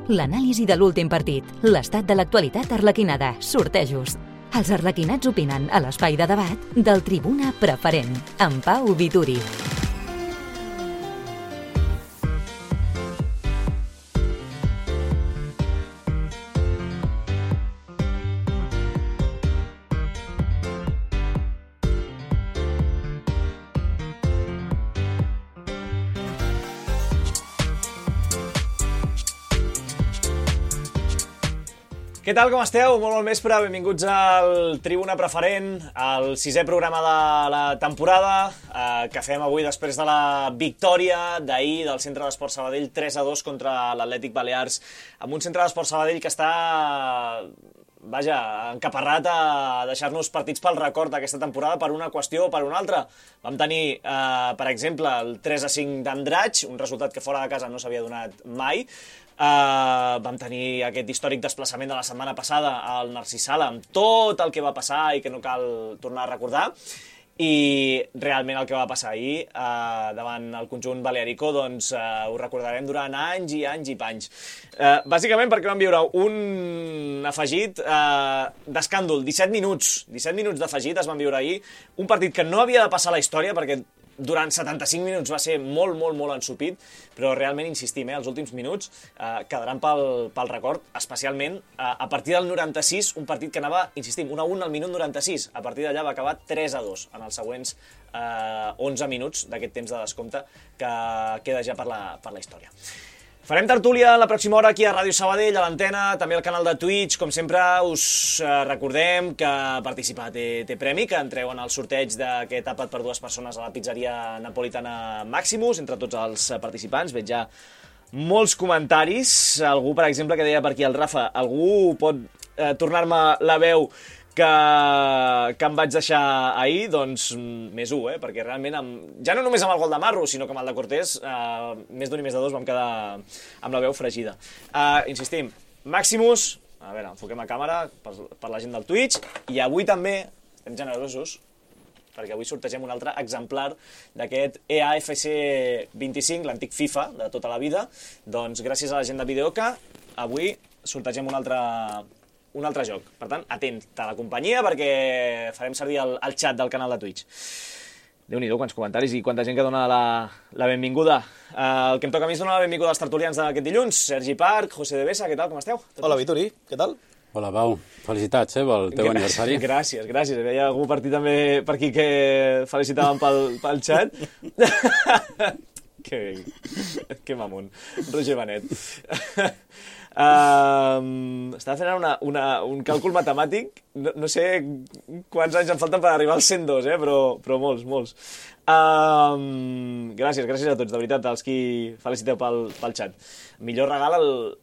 L'anàlisi de l'últim partit, l'estat de l'actualitat arlequinada, sortejos. Els arlequinats opinen a l'espai de debat del Tribuna Preferent, amb Pau Vituri. Què tal, com esteu? Molt bon vespre, benvinguts al Tribuna Preferent, el 6è programa de la temporada que fem avui després de la victòria d'ahir del Centre d'Esports Sabadell 3-2 contra l'Atlètic Balears, amb un Centre d'Esports Sabadell que està, encaparrat a deixar-nos partits pel record d'aquesta temporada per una qüestió o per una altra. Vam tenir, per exemple, el 3-5 d'Andratx, un resultat que fora de casa no s'havia donat mai. Vam tenir aquest històric desplaçament de la setmana passada al Narcís Sala amb tot el que va passar i que no cal tornar a recordar, i realment el que va passar ahir davant el conjunt balearico doncs ho recordarem durant anys i anys i panys, bàsicament perquè vam viure un afegit d'escàndol. 17 minuts d'afegit es van viure ahir, un partit que no havia de passar a la història perquè durant 75 minuts va ser molt ensupit, però realment insistim, els últims minuts quedaran pel record, especialment a partir del 96, un partit que anava, insistim, 1-1 al minut 96, a partir d'allà va acabar 3-2 en els següents 11 minuts d'aquest temps de descompte que queda ja per la història. Farem tertúlia la pròxima hora aquí a Ràdio Sabadell, a l'antena, també al canal de Twitch. Com sempre, us recordem que participar té premi, que entreu en el sorteig d'aquest àpat per 2 persones a la pizzeria napolitana Maximus, entre tots els participants. Veig ja molts comentaris. Algú, per exemple, que deia per aquí el Rafa, algú pot tornar-me la veu que em vaig deixar ahir, doncs més 1, perquè realment, ja no només amb el gol de Marro, sinó que amb el de Cortés, més d'un i més de 2 vam quedar amb la veu fregida. Insistim, Maximus, a veure, enfoquem a càmera per la gent del Twitch, i avui també estem generosos, perquè avui sortegem un altre exemplar d'aquest EAFC 25, l'antic FIFA de tota la vida. Doncs gràcies a la gent de Videoca, avui sortegem un altre joc. Per tant, atent a la companyia perquè farem servir el xat del canal de Twitch. Déu-n'hi-do, quants comentaris i quanta gent que dona la benvinguda. El que em toca a mi és donar la benvinguda als tertulians d'aquest dilluns. Sergi Parc, José de Besa, què tal, com esteu? Hola, Vituri, què tal? Hola, Pau. Felicitats, pel teu aniversari. Gràcies. Hi havia algú per aquí que felicitaven pel xat. Que mamón. Roger Benet. Estava fent un càlcul matemàtic, no sé quants anys em falten per arribar als 102, però molts. Gràcies a tots, de veritat, als qui feliciteu pel xat. Millor regal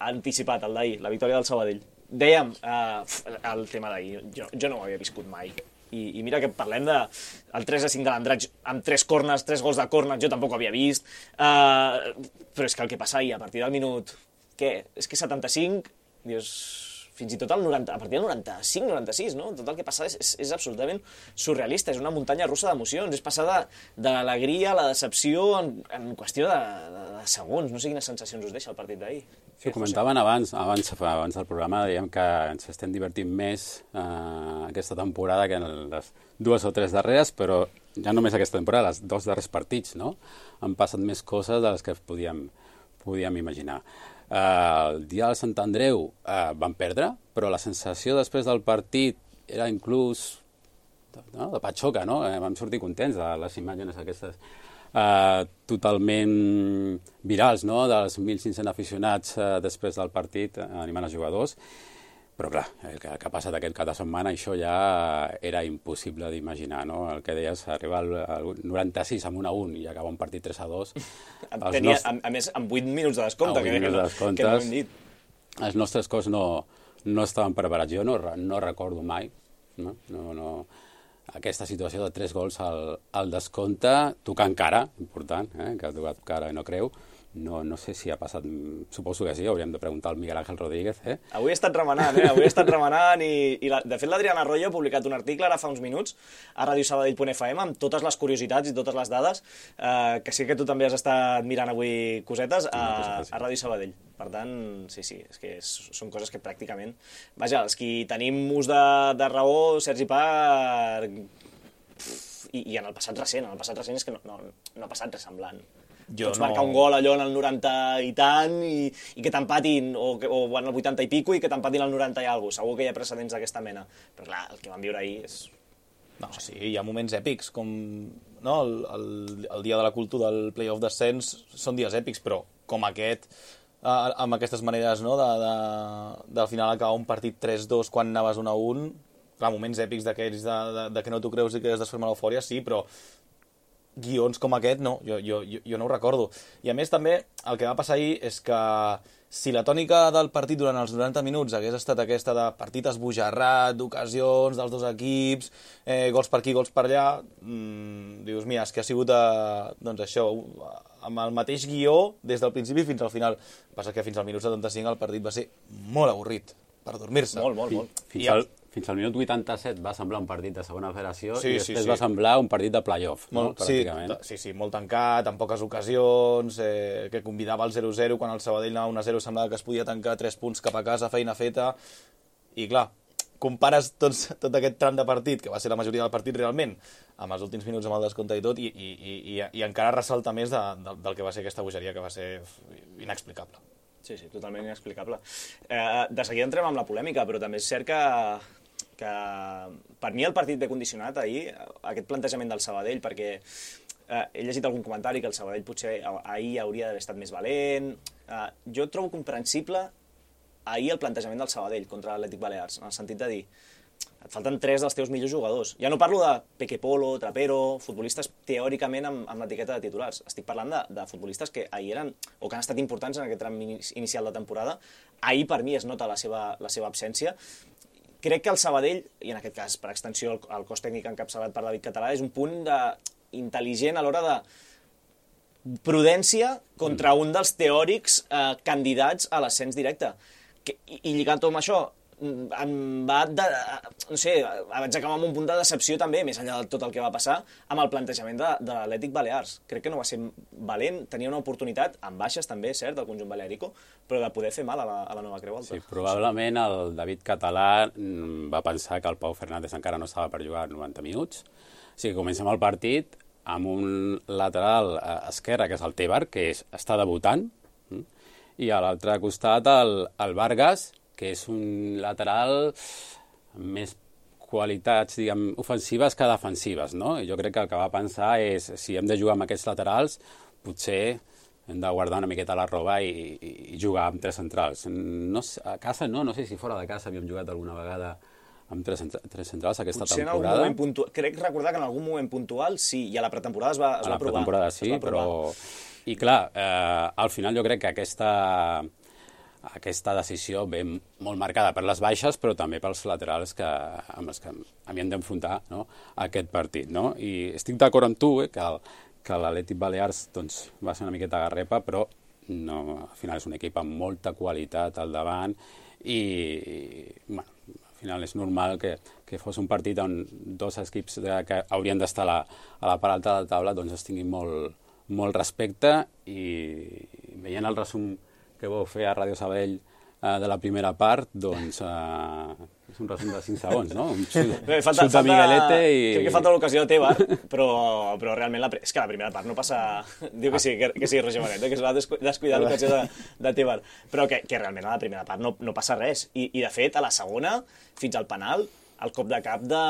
anticipat, el d'ahir, la victòria del Sabadell. Dèiem, el tema d'ahir, jo no ho havia viscut mai. I mira que parlem del 3-5 de l'Andratx amb 3 corners, 3 gols de córner, jo tampoc ho havia vist, però és que el que passa ahir a partir del minut... Què? És que 75, dius, fins i tot a partir del 95-96, no? Tot el que passa és absolutament surrealista, és una muntanya russa d'emocions, és passar de l'alegria a la decepció en qüestió de segons. No sé quines sensacions us deixa el partit d'ahir. Sí, ho comentaven abans del programa, dèiem que ens estem divertint més aquesta temporada que en les 2 o 3 darreres, però ja només aquesta temporada, els 2 darrers partits, no? Han passat més coses de les que podíem imaginar. El dia del Sant Andreu van perdre, però la sensació després del partit era inclús de patxoca, no? Vam sortir contents de les imatges aquestes totalment virals, no? Dels 1.500 aficionats després del partit animant els jugadors. Però clar, el que ha passat aquest cap de setmana, això ja era impossible d'imaginar, no? El que deies, arribar al 96 amb 1-1 i acabar un partit 3-2. A més, amb 8 minuts de descompte, que no hem dit. Els nostres cos no estaven preparats. Jo no recordo mai, no, aquesta situació de 3 gols al descompte, tocant cara, important, que ha tocat cara i no creu. No sé si ha passat, suposo que sí, hauríem de preguntar al Miguel Ángel Rodríguez. Avui he estat remenant, i de fet l'Adriana Arroyo ha publicat un article ara fa uns minuts a radiosabadell.fm amb totes les curiositats i totes les dades, que sé que tu també has estat mirant avui cosetes a Ràdio Sabadell. Per tant, sí, és que són coses que pràcticament... Vaja, els qui tenim ús de raó, Sergi Parc... I en el passat recent és que no ha passat res semblant. Pots marcar un gol allò en el 90 i tant i que t'empatin, o en el 80 i pico i que t'empatin al 90 i alguna cosa. Segur que hi ha precedents d'aquesta mena. Però clar, el que vam viure ahir és... No, sí, hi ha moments èpics, com no, el dia de la cultura del playoff d'ascens són dies èpics, però com aquest, amb aquestes maneres no, del final acabar un partit 3-2 quan anaves 1-1, clar, moments èpics d'aquells de que no t'ho creus i que es desferma l'eufòria, sí, però guions com aquest, no, jo no ho recordo. I a més també el que va passar ahir és que si la tònica del partit durant els 90 minuts hagués estat aquesta de partit esbojarrat, d'ocasions dels dos equips, gols per aquí, gols per allà, dius, mira, és que ha sigut doncs això, amb el mateix guió des del principi fins al final. Passa que fins al minut 75 el partit va ser molt avorrit per dormir-se. Molt. Fins al minut 87 va semblar un partit de segona federació i després va semblar un partit de playoff, no? Pràcticament. Sí, molt tancat, amb poques ocasions, que convidava al 0-0, quan el Sabadell anava 1-0 semblava que es podia tancar 3 punts cap a casa, feina feta, i clar, compares tot aquest tram de partit, que va ser la majoria del partit realment, amb els últims minuts amb el descompte i tot, i encara ressalta més del que va ser aquesta bogeria, que va ser inexplicable. Sí, totalment inexplicable. De seguida entrem amb la polèmica, però també és cert que per mi el partit ve condicionat ahir, aquest plantejament del Sabadell, perquè he llegit algun comentari que el Sabadell potser ahir hauria d'haver estat més valent. Jo trobo comprensible ahir el plantejament del Sabadell contra l'Atlètic Balears, en el sentit de dir et falten 3 dels teus millors jugadors. Ja no parlo de Peque Polo, Trapero, futbolistes teòricament amb l'etiqueta de titulars. Estic parlant de futbolistes que ahir eren, o que han estat importants en aquest tram inicial de temporada. Ahir, per mi, es nota la seva absència. Crec que el Sabadell, i en aquest cas, per extensió, el cos tècnic encapçalat per David Català, és un punt intel·ligent a l'hora de prudència contra un dels teòrics candidats a l'ascens directe. I lligant-ho amb això, vaig acabar amb un punt de decepció també, més enllà de tot el que va passar, amb el plantejament de l'Atlètic Balears. Crec que no va ser valent, tenia una oportunitat, amb baixes també, cert, del conjunt balearico, però de poder fer mal a la Nova Creu Alta. Sí, probablement el David Català va pensar que el Pau Fernández encara no estava per jugar 90 minuts, o sigui que comencem el partit amb un lateral esquerre, que és el Tebar, que està debutant, i a l'altre costat el Vargas, que és un lateral amb més qualitats, diguem, ofensives que defensives, no? I jo crec que el que va pensar és, si hem de jugar amb aquests laterals, potser hem de guardar una miqueta la roba i jugar amb 3 centrals. A casa no sé si fora de casa havíem jugat alguna vegada amb 3 centrals aquesta potser temporada. Crec recordar que en algun moment puntual sí, i a la pretemporada es va provar. A la pretemporada sí, però... I clar, al final jo crec que aquesta decisió ve molt marcada per les baixes, però també pels laterals amb els que havíem d'enfrontar, no, aquest partit, no? I estic d'acord amb tu, que l'Atlètic Balears doncs, va ser una miqueta garrepa, però no, al final és un equip amb molta qualitat al davant i bueno, al final és normal que fos un partit on 2 equips que haurien d'estar a la part alta de la taula doncs es tinguin molt respecte, i veient el resum que vau fer a Ràdio Sabadell de la primera part, doncs és un resum de 5 segons, no? Un xut de Miguelete i... Crec que falta l'ocasió de Tebar, però realment és que la primera part no passa... Diu que sí, Roger Manet, que es va descuidar l'ocasió de Tebar, però que realment a la primera part no passa res. I de fet, a la segona, fins al penal, el cop de cap de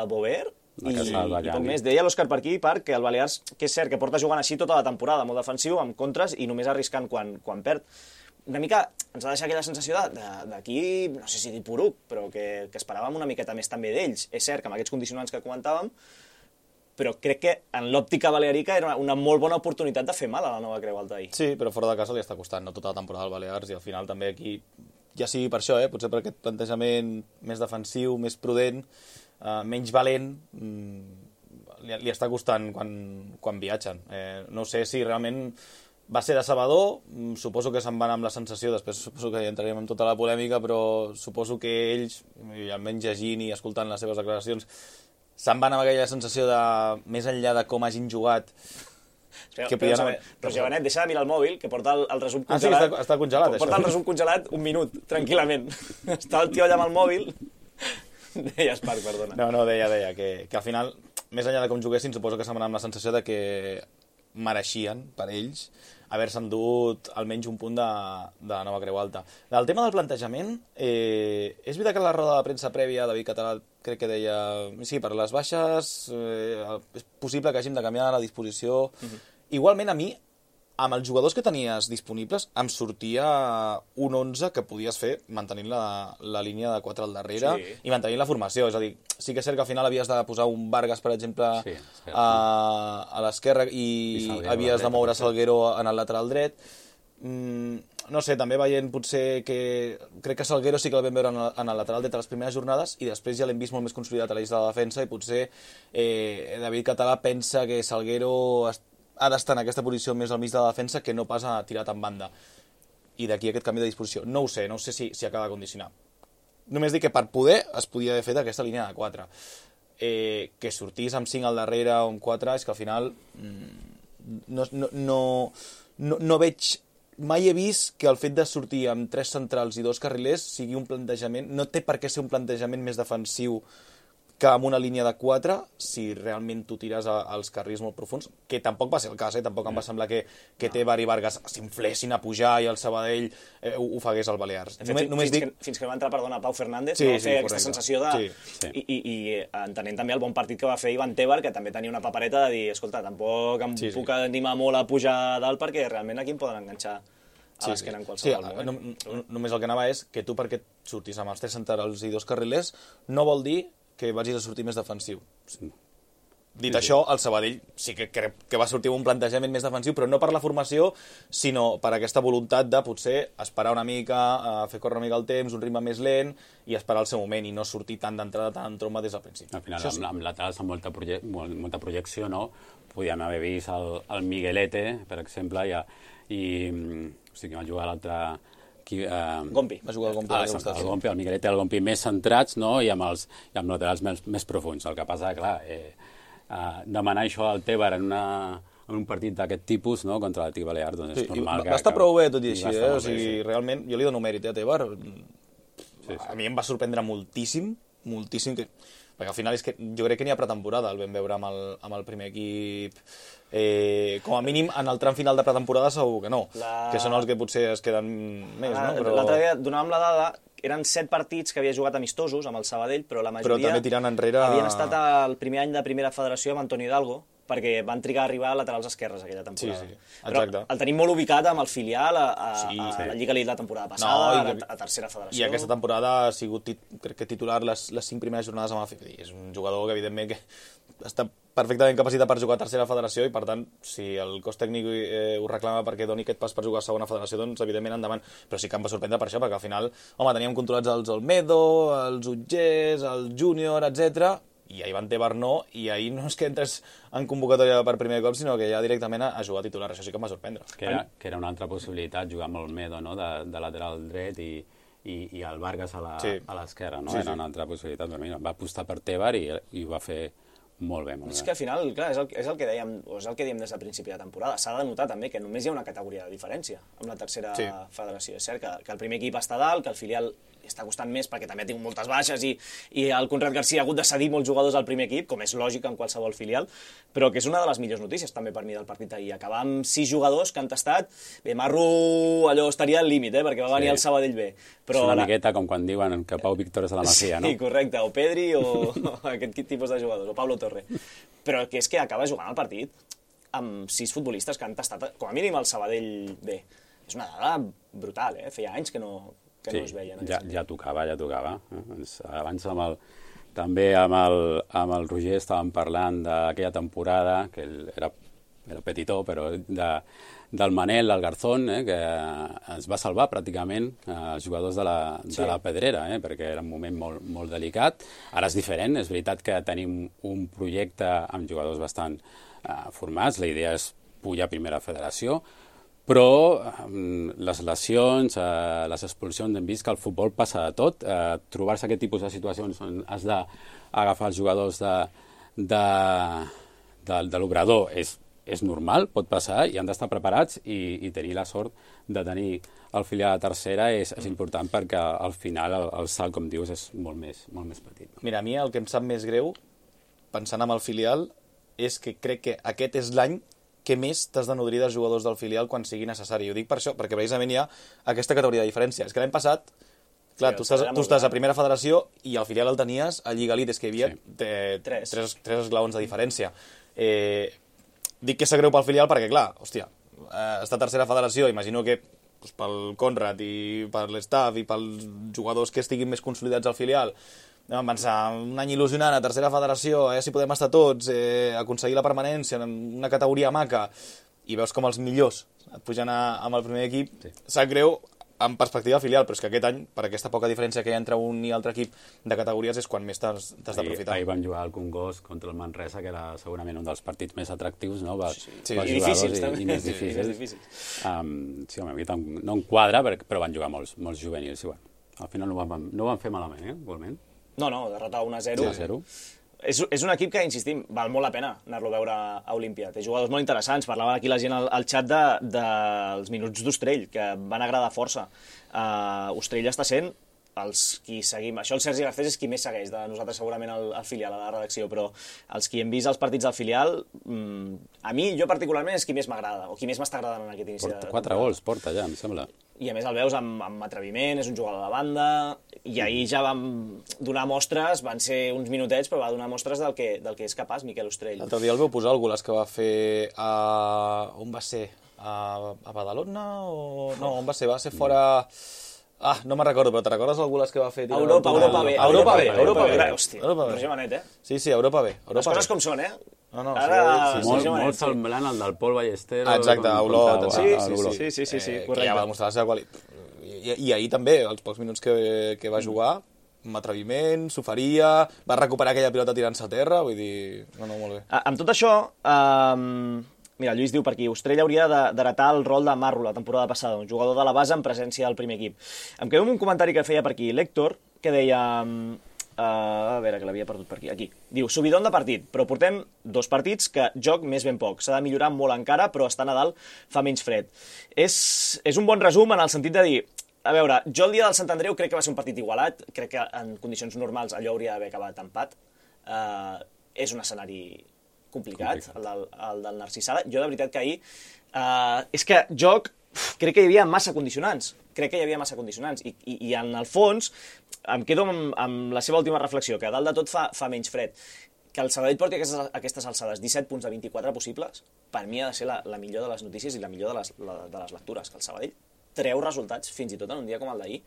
Bovert, i poc més. Deia l'Òscar per aquí, que el Balears, que és cert que porta jugant així tota la temporada, molt defensiu, amb contres i només arriscant quan perd. Una mica ens ha deixat aquella sensació d'aquí, no sé si dir poruc, però que esperàvem una miqueta més també d'ells. És cert que amb aquests condicionants que comentàvem, però crec que en l'òptica balearica era una molt bona oportunitat de fer mal a la Nova Creu Alta ahir. Sí, però fora de casa li està costant, no tota la temporada al Balears, i al final també aquí, ja sigui per això, potser per aquest plantejament més defensiu, més prudent, menys valent, li està costant quan viatgen. No sé si realment va ser decebedor, suposo que se'n van amb la sensació, després suposo que entrarem en tota la polèmica, però suposo que ells, almenys llegint i escoltant les seves declaracions, se'n van amb aquella sensació de, més enllà de com hagin jugat, Roger Benet, deixa de mirar el mòbil, que porta el resum Ah, sí, congelat. està congelat, això. Porta el resum congelat un minut, tranquil·lament. Està el tio allà amb el mòbil. Deies, Marc, perdona. No, deia que al final, més enllà de com juguessin, suposo que se'm amb la sensació de que mereixien, per ells, haver-se endut almenys un punt de nova Creu Alta. Del tema del plantejament, és veritat que a la roda de premsa prèvia David Català crec que deia sí, per les baixes és possible que hàgim de canviar la disposició. Igualment a mi, amb els jugadors que tenies disponibles, em sortia un 11 que podies fer mantenint la línia de 4 al darrere i mantenint la formació. És a dir, sí que és cert que al final havies de posar un Vargas, per exemple, a l'esquerra i havies de moure Salguero en el lateral dret. No sé, també veient potser que... Crec que Salguero sí que el vam veure en el lateral dret a les primeres jornades i després ja l'hem vist molt més consolidat a l'eix de la defensa i potser David Català pensa que Salguero ha d'estar en aquesta posició més al mig de la defensa que no pas a tirat en banda. I d'aquí aquest canvi de disposició. No ho sé si acaba de condicionar. Només dic que per poder es podia haver fet aquesta línia de 4. Que sortís amb 5 al darrere o amb 4, és que al final no veig... Mai he vist que el fet de sortir amb 3 centrals i 2 carrilers sigui un plantejament... No té per què ser un plantejament més defensiu que amb una línia de 4, si realment tu tires als carrils molt profuns, que tampoc va ser el cas, tampoc em va semblar que Tebar i Vargas s'inflessin a pujar i el Sabadell ho fagués al Balears. Fins que va entrar, perdona, Pau Fernández, va fer aquesta sensació de... I entenent també el bon partit que va fer Ivan Tebar, que també tenia una papereta de dir, escolta, tampoc em puc animar molt a pujar a dalt perquè realment aquí em poden enganxar a l'esquena en qualsevol moment. Només el que anava és que tu perquè surtis amb els 3 centrals i 2 carrilers no vol dir que vagis a sortir més defensiu. Dit això, el Sabadell sí que crec que va sortir amb un plantejament més defensiu, però no per la formació, sinó per aquesta voluntat de potser esperar una mica, fer córrer una mica el temps, un ritme més lent, i esperar el seu moment, i no sortir tant d'entrada, tant en tromba des del principi. Al final, amb laterals amb molta projecció, no? Podíem haver vist el Miguelete, per exemple, i o sigui, va jugar l'altre... Gompi. Va jugar el Gompi. El Miguelete i el Gompi més centrats, no? I amb laterals més profuns. El que passa, clar, demanar això al Tebar en un partit d'aquest tipus, no? Contra l'Atlètic Balears, doncs és normal que... Va estar prou bé, tot i així, o sigui, realment, jo li dono mèrit a Tebar. A mi em va sorprendre moltíssim, perquè al final és que jo crec que n'hi ha pretemporada, el vam veure amb el primer equip, com a mínim en el tram final de pretemporada segur que no, que són els que potser es queden més, no? Però... L'altre dia donàvem la dada, eren 7 partits que havia jugat amistosos amb el Sabadell, però la majoria també tirant enrere... havien estat el primer any de primera federació amb Antoni Hidalgo, perquè van trigar a arribar a laterals esquerres aquella temporada. Sí, exacte. Però el tenim molt ubicat amb el filial, a la Lliga Elite la temporada passada, a tercera federació. I aquesta temporada ha sigut, crec que titular les 5 primeres jornades amb el FIFI. És un jugador que, evidentment, que està perfectament capacitat per jugar a tercera federació i, per tant, si el cos tècnic ho reclama perquè doni aquest pas per jugar a segona federació, doncs, evidentment, endavant. Però sí que em va sorprendre per això, perquè al final, teníem controlats els Olmedo, els Utgers, el Júnior, etc. I a Ivan Tebar no, i ahir no és que entres en convocatòria per primer cop, sinó que ja directament a jugar titular. Això sí que em va sorprendre. Que era una altra possibilitat, jugar amb el Olmedo, no? de lateral dret i el Vargas a l'esquerra, no? Era una altra possibilitat per mi. Va apostar per Tebar i ho va fer molt bé. És que al final, clar, és el que dèiem, o és el que diem des del principi de temporada. S'ha de notar també que només hi ha una categoria de diferència amb la tercera federació. És cert que el primer equip està dalt, que el filial està costant més perquè també ha tingut moltes baixes i el Conrad García ha hagut de cedir molts jugadors al primer equip, com és lògic en qualsevol filial, però que és una de les millors notícies també per mi del partit d'ahir. Acabar amb 6 jugadors que han tastat, bé, Marro allò estaria al límit, perquè va venir el Sabadell bé. Però és una miqueta com quan diuen que Pau Víctor és a la Masia, no? Sí, correcte, o Pedri o aquest tipus de jugadors, o Pablo Torre. Però que és que acaba jugant el partit amb 6 futbolistes que han tastat, com a mínim, el Sabadell bé. És una dada brutal, Feia anys que no es veien. Ja tocava. Abans també amb el Roger estàvem parlant d'aquella temporada, que era petitó, però del Manel, del Garzón, que ens va salvar pràcticament els jugadors de la Pedrera, perquè era un moment molt delicat. Ara és diferent, és veritat que tenim un projecte amb jugadors bastant formats, la idea és pujar a primera federació, però les lesions, les expulsions, hem vist que el futbol passa de tot. Trobar-se aquest tipus de situacions on has d'agafar els jugadors de l'obrador és és normal, pot passar, i han d'estar preparats i tenir la sort de tenir el filial a tercera és important perquè al final el salt, com dius, és molt més petit. Mira, a mi el que em sap més greu, pensant en el filial, és que crec que aquest és l'any que més t'has de nodrir dels jugadors del filial quan sigui necessari. Ho dic per això, perquè precisament hi ha aquesta categoria de diferència. És que l'any passat, clar, tu estàs a primera federació i al filial el tenies a Lliga Elite, és que hi havia tres esglaons de diferència. Dic que és greu pel filial perquè, clar, hòstia, està a tercera federació, imagino que pel Conrad i per l'estaff i pels jugadors que estiguin més consolidats al filial, vam pensar, un any il·lusionant a tercera federació, si podem estar tots, aconseguir la permanència en una categoria maca, i veus com els millors et pugen amb el primer equip, sap greu en perspectiva filial, però és que aquest any, per aquesta poca diferència que hi ha entre un i altre equip de categories, és quan més t'has d'aprofitar. Ahir vam jugar al Congost contra el Manresa, que era segurament un dels partits més atractius, no? I difícils, també. I més difícils. Sí, home, a mi no em quadra, però van jugar molts juvenils, i bueno, al final no ho van fer malament, igualment. No, derrotar 1-0. 0. És un equip que, insistim, val molt la pena anar-lo a veure a Olímpia. Té jugadors molt interessants. Parlava aquí la gent al xat dels minuts d'Ostrell, que van agradar força. Ostrell està sent els qui seguim... Això el Sergi Garcés és qui més segueix de nosaltres segurament al filial, a la redacció, però els qui hem vist els partits del filial, a mi, jo particularment, és qui més m'agrada, o qui més m'està agradant en aquest inici. 4 gols porta ja, em sembla. I a més el veus amb atreviment, és un jugador de banda, i ahir ja vam donar mostres, van ser uns minutets, però va donar mostres del que és capaç Miquel Ostrell. L'altre dia el veu posar el golaç que va fer a... On va ser? A Badalona? No, on va ser? Va ser fora... no me'n recordo, però te recordes el golaç que va fer? Europa B. Europa B. Hòstia, Roger Manet, Sí, Europa B. Les coses com són, No, molt semblant al del Pol Ballesteros. Exacte, a Olot. Sí, correcte. Que ja va demostrar la seva qualitat. I ahir també, els pocs minuts que va jugar, amb atreviment, s'oferia, va recuperar aquella pilota tirant-se a terra, vull dir... No, molt bé. Amb tot això, mira, Lluís diu per aquí, Ostrell hauria d'heretar el rol de Marro la temporada passada, un jugador de la base en presència del primer equip. Em quedo amb un comentari que feia per aquí l'Héctor, que deia... a veure, que l'havia perdut per aquí. Aquí. Diu, subidon de partit, però portem 2 partits que joc més ben poc. S'ha de millorar molt encara, però estar a Nadal fa menys fred. És un bon resum en el sentit de dir, a veure, jo el dia del Sant Andreu crec que va ser un partit igualat, crec que en condicions normals allò hauria d'haver acabat empat. És un escenari complicat, el del Narcisada. Jo, de veritat, que ahir... és que joc... Crec que hi havia massa condicionants. I en el fons em quedo amb la seva última reflexió, que a dalt de tot fa menys fred. Que el Sabadell porti aquestes alçades 17 punts de 24 possibles, per mi ha de ser la millor de les notícies i la millor de les lectures, que el Sabadell treu resultats fins i tot en un dia com el d'ahir,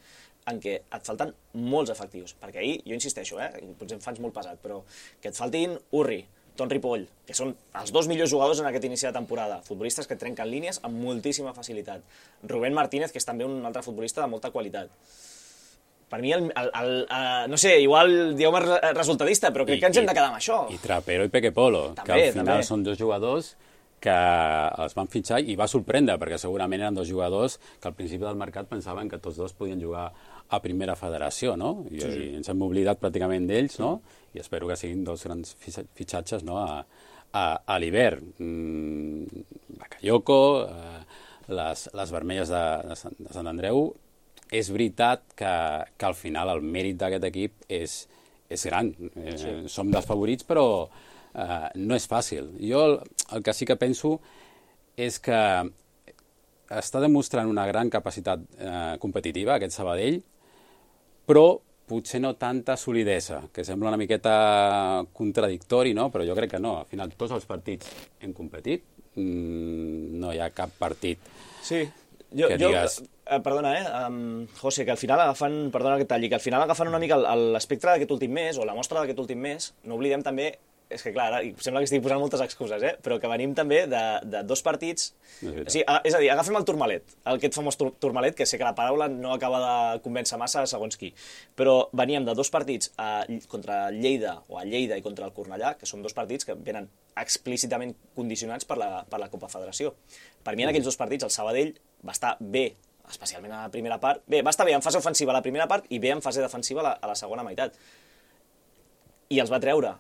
en què et falten molts efectius. Perquè ahir, jo insisteixo, potser em faig molt pesat, però que et faltin Urri, Ton Ripoll, que són els 2 millors jugadors en aquest inici de temporada, futbolistes que trenquen línies amb moltíssima facilitat. Rubén Martínez, que és també un altre futbolista de molta qualitat. Per mi, no sé, igual dieu-me resultadista, però crec que ens hem de quedar amb això. I Trapero i Peque Polo, que al final són 2 jugadors que els van fitxar i va sorprendre, perquè segurament eren 2 jugadors que al principi del mercat pensaven que tots 2 podien jugar a primera federació, no? I ens hem oblidat pràcticament d'ells, no? I espero que siguin 2 grans fitxatges, no? A l'hivern. Bakayoko, les vermelles de Sant Andreu. És veritat que al final el mèrit d'aquest equip és gran. Som dels favorits, però no és fàcil. Jo el que sí que penso és que està demostrant una gran capacitat competitiva, aquest Sabadell, però potser no tanta solidesa, que sembla una miqueta contradictori, no? Però jo crec que no. Al final, tots els partits hem competit. No hi ha cap partit que digues... Perdona, José, que al final agafen, perdona que talli, que al final agafen una mica l'espectre d'aquest últim mes, o la mostra d'aquest últim mes, no oblidem també, és que clar, ara sembla que estic posant moltes excuses, però que venim també de 2 partits... És a dir, agafem el Tourmalet, aquest famós Tourmalet, que sé que la paraula no acaba de convèncer massa segons qui, però veníem de 2 partits contra Lleida, o a Lleida i contra el Cornellà, que són 2 partits que venen explícitament condicionats per la Copa Federació. Per mi en aquells 2 partits el Sabadell va estar bé, especialment a la primera part. Bé, va estar bé en fase ofensiva a la primera part i bé en fase defensiva a la segona meitat. I els va treure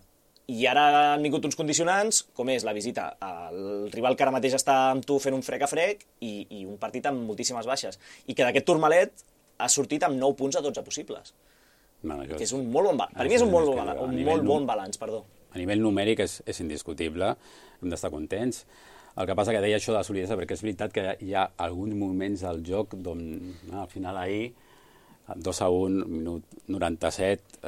I ara han vingut uns condicionants, com és la visita al rival que ara mateix està amb tu fent un frec a frec i un partit amb moltíssimes baixes. I que d'aquest Tourmalet ha sortit amb 9 punts a 12 possibles. Que és un molt bon balanç. Per mi és un molt bon balanç, perdó. A nivell numèric és indiscutible, hem d'estar contents. El que passa que deia això de la solidesa, perquè és veritat que hi ha alguns moments del joc d'on al final ahir 2-1, minut 97,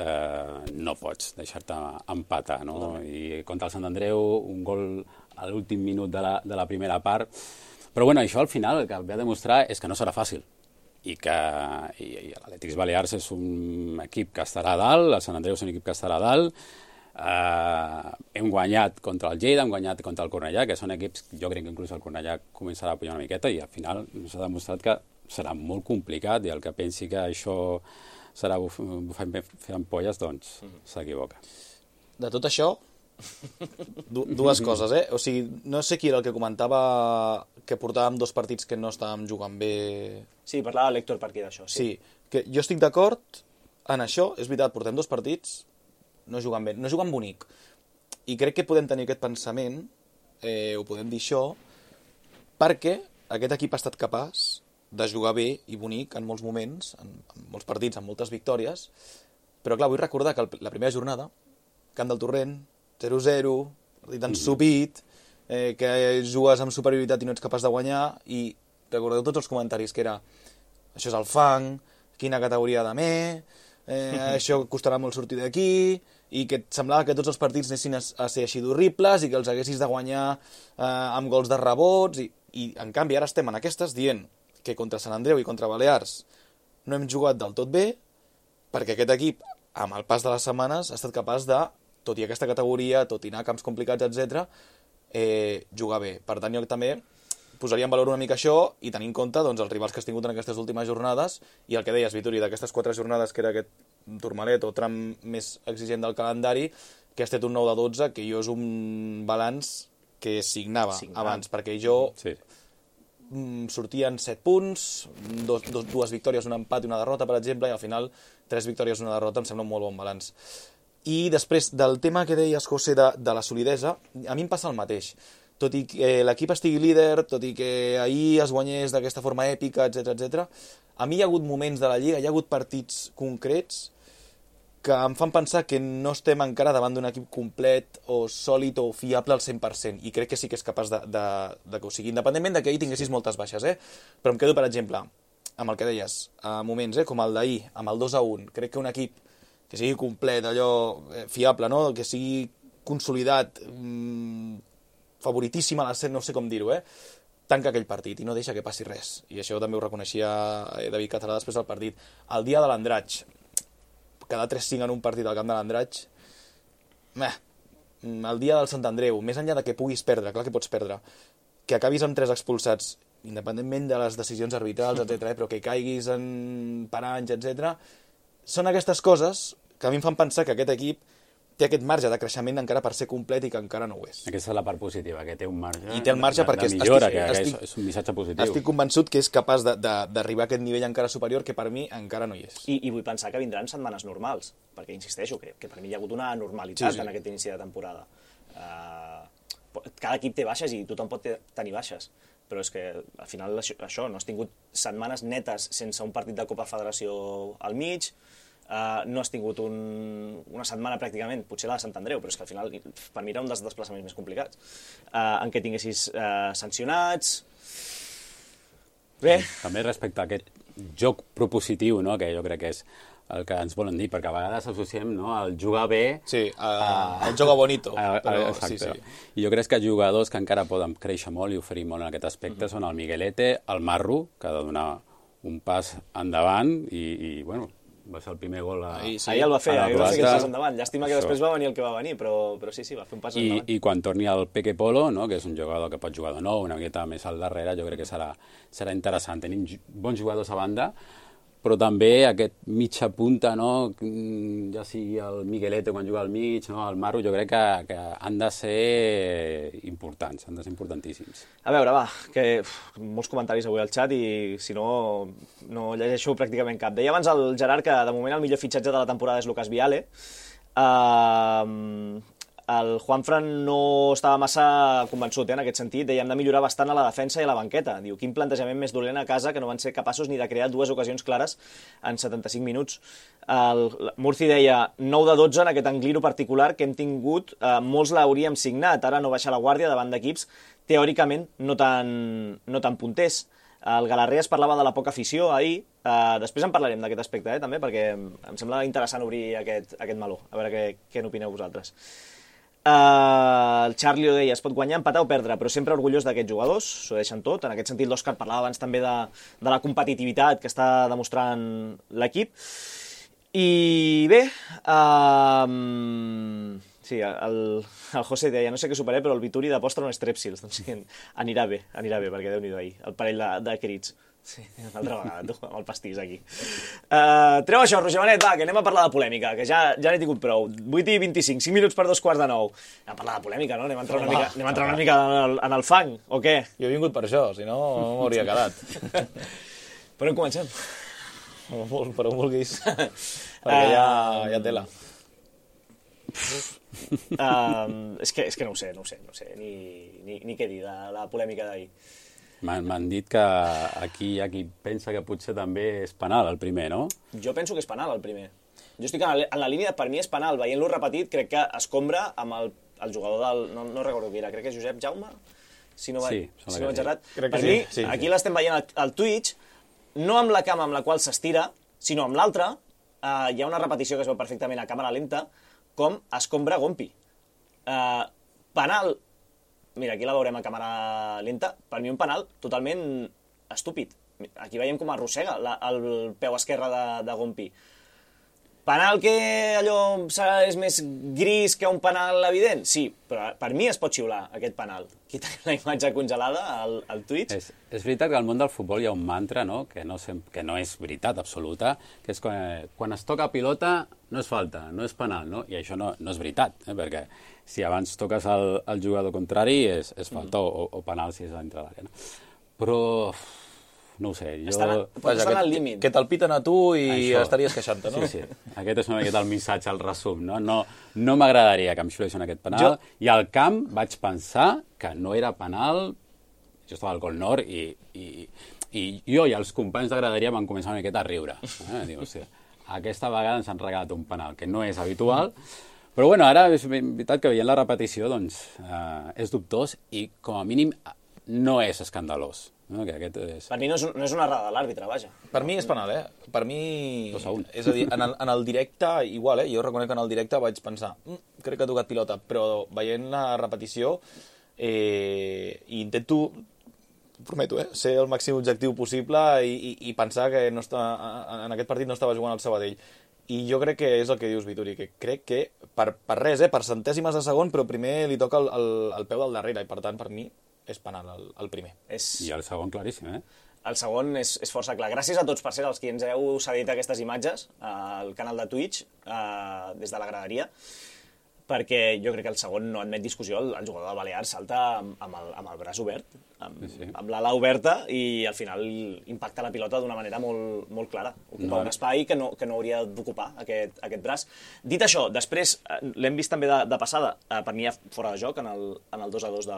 no pots deixar-te empatar, no? I contra el Sant Andreu, un gol a l'últim minut de la primera part. Però bueno, això al final el que ve a demostrar és que no serà fàcil i que l'Atlètic Balears és un equip que estarà a dalt, el Sant Andreu és un equip que estarà a dalt, hem guanyat contra el Lleida, hem guanyat contra el Cornellà, que són equips, jo crec que inclús el Cornellà començarà a pujar una miqueta i al final s'ha demostrat que serà molt complicat i el que pensi que això serà fer ampolles, doncs s'equivoca. De tot això, dues coses, O sigui, no sé qui era el que comentava que portàvem 2 partits que no estàvem jugant bé. Sí, parlava l'Héctor per aquí d'això. Sí, que jo estic d'acord en això, és veritat, portem 2 partits, no jugant bé, no jugant bonic. I crec que podem tenir aquest pensament, ho podem dir això, perquè aquest equip ha estat capaç de jugar bé i bonic en molts moments, en molts partits, en moltes victòries, però clar, vull recordar que la primera jornada, Camp del Torrent, 0-0, partit ensupit, que jugues amb superioritat i no ets capaç de guanyar, i recordeu tots els comentaris que era això és el fang, quina categoria de això costarà molt sortir d'aquí, i que et semblava que tots els partits anessin a ser així d'horribles i que els haguessis de guanyar amb gols de rebots, i en canvi ara estem en aquestes dient que contra Sant Andreu i contra Balears no hem jugat del tot bé, perquè aquest equip, amb el pas de les setmanes, ha estat capaç de, tot i aquesta categoria, tot i anar a camps complicats, etc., jugar bé. Per tant, jo també posaria en valor una mica això i tenir en compte doncs, els rivals que has tingut en aquestes últimes jornades i el que deies, Vitori, d'aquestes 4 jornades que era aquest Tourmalet o tram més exigent del calendari, que has fet un 9 de 12, que jo és un balanç que signava abans, perquè jo sortien 7 punts, 2 victòries, un empat i una derrota, per exemple, i al final 3 victòries i una derrota em sembla un molt bon balanç. I després del tema que deies, José, de la solidesa, a mi em passa el mateix. Tot i que l'equip estigui líder, tot i que ahir es guanyés d'aquesta forma èpica, etc., a mi hi ha hagut moments de la Lliga, hi ha hagut partits concrets que em fan pensar que no estem encara davant d'un equip complet o sòlid o fiable al 100%, i crec que sí que és capaç de que ho sigui, independentment de que ahir tinguessis moltes baixes, però em quedo, per exemple, amb el que deies, a moments com el d'ahir, amb el 2-1, crec que un equip que sigui complet, allò fiable, no? Que sigui consolidat, favoritíssim a l'ascens, no sé com dir-ho, tanca aquell partit i no deixa que passi res. I això també ho reconeixia David Cazorla després del partit. El dia de l'Andratx, quedar 3-5 en un partit al camp de l'Andratx, el dia del Sant Andreu, més enllà de que puguis perdre, clar que pots perdre, que acabis amb 3 expulsats, independentment de les decisions arbitrals, etc., però que caiguis en paranys, etc., són aquestes coses que a mi em fan pensar que aquest equip té aquest marge de creixement encara per ser complet i que encara no ho és. Aquesta és la part positiva, que té un marge. I té el marge perquè de millora, és un missatge positiu. Estic convençut que és capaç d'arribar a aquest nivell encara superior, que per mi encara no hi és. I vull pensar que vindran setmanes normals, perquè insisteixo que per mi hi ha hagut una normalitat en aquest inici de temporada. Cada equip té baixes i tothom pot tenir baixes, però és que al final això, no has tingut setmanes netes sense un partit de Copa Federació al mig, no has tingut una setmana pràcticament, potser la de Sant Andreu, però és que al final per mi era un dels desplaçaments més complicats, en què tinguessis sancionats. Bé. També respecte a aquest joc propositiu, no? Que jo crec que és el que ens volen dir, perquè a vegades associem, no, el jugar bé... Sí, el joga bonito. Exacte. Sí. I jo crec que jugadors que encara poden créixer molt i oferir molt en aquest aspecte són el Miguelete, el Marro, que ha de donar un pas endavant i bueno, va ser el primer gol ahir el va fer, ahir va fer aquest pas endavant. Llàstima que després va venir el que va venir, però sí, va fer un pas endavant. I quan torni el Peque Polo, no, que és un jugador que pot jugar de nou, una miqueta més al darrere, jo crec que serà interessant. Tenim bons jugadors a banda, però també aquest mitja punta, no, ja sigui el Miguelete quan juga al mig, no, el Marro, jo crec que han de ser importants, han de ser importantíssims. A veure, va, que molts comentaris avui al xat i si no llegeixo pràcticament cap. Deia abans el Gerard que de moment el millor fitxatge de la temporada és Lucas Viale. el Juanfran no estava massa convençut en aquest sentit, deia hem de millorar bastant a la defensa i a la banqueta. Diu, quin plantejament més dolent a casa que no van ser capaços ni de crear 2 ocasions clares en 75 minuts. El Murci deia 9 de 12 en aquest Angliru particular que hem tingut, molts l'hauríem signat, ara no baixar la guàrdia davant d'equips teòricament no tan punters. El Galarré es parlava de la poca afició ahir, després en parlarem d'aquest aspecte, també, perquè em sembla interessant obrir aquest meló, a veure què n'opineu vosaltres. El Charlie ho deia, es pot guanyar, empatar o perdre, però sempre orgullós d'aquests jugadors, s'ho deixen tot. En aquest sentit, l'Òscar parlava abans també de la competitivitat que està demostrant l'equip. I bé, sí, el José deia, no sé què superé, però el Vituri d'aposta no és Trepsils. Doncs sí, anirà bé, perquè Déu-n'hi-do ahir, el parell de crits. Sí, una altra vegada, tu, amb el pastís aquí. Treu això, Roger Benet, va, que anem a parlar de polèmica, que ja n'he tingut prou. 8:25, 5 minuts per 8:45. Anem a parlar de polèmica, no? Anem a entrar una mica en el fang, o què? Jo he vingut per això, si no m'hauria quedat. Per on comencem? Per on vulguis, perquè ja tela. És que no ho sé, ni què dir de la polèmica d'ahir. M'han dit que aquí hi ha qui pensa que potser també és penal el primer, no? Jo penso que és penal el primer. Jo estic en la línia, per mi és penal. Veient-lo repetit, crec que escombra amb el jugador del... No recordo qui era, crec que és Josep Jaume, si no vaig errat. Per mi, aquí l'estem veient al Twitch, no amb la cama amb la qual s'estira, sinó amb l'altra. Hi ha una repetició que es veu perfectament a càmera lenta, com escombra Gompi. Penal, mira, aquí la veurem a càmera lenta, per mi un penal totalment estúpid. Aquí veiem com arrossega el peu esquerre de Gompi. Penal que allò és més gris que un penal evident? Sí, però per mi es pot xiular aquest penal. Aquí tenim la imatge congelada al Twitch. És veritat que al món del futbol hi ha un mantra, no? Que no és veritat absoluta, que és quan es toca pilota no és falta, no és penal, no? I això no és veritat, perquè si abans toques el jugador contrari és falta o penal si és a dintre l'àrea. No? Però... no ho sé, jo... Estan al límit. Que te'l piten a tu i estaries queixant-te, no? Sí. Aquest és una miqueta el missatge, el resum, no? No m'agradaria que em xulessin aquest penal. I al camp vaig pensar que no era penal, jo estava al Col Nord i jo i els companys de graderia van començar una miqueta a riure. Diu, hòstia, aquesta vegada ens han regalat un penal, que no és habitual, però bueno, ara és veritat que veient la repetició doncs és dubtós i com a mínim no és escandalós. No, que és... Per mi no és una errada de l'àrbitre, vaja. Per mi és penal, Per mi... 2-1. És a dir, en el directe, igual, Jo reconec que en el directe vaig pensar crec que ha tocat pilota, però veient la repetició intento, prometo, ser el màxim objectiu possible i pensar que en aquest partit no estava jugant el Sabadell. I jo crec que és el que dius, Vituri, que crec que per res, per centèsimes de segon, però primer li toca el peu del darrere, i per tant, per mi, és penal el primer. I el segon claríssim, El segon és força clar. Gràcies a tots, per cert, els qui ens heu cedit aquestes imatges al canal de Twitch, des de la graderia, perquè jo crec que el segon no admet discussió. El jugador del Balears salta amb el braç obert, amb l'ala oberta, i al final impacta la pilota d'una manera molt, molt clara. Ocupa un espai que no hauria d'ocupar aquest braç. Dit això, després l'hem vist també de passada, per mi fora de joc, en el 2-2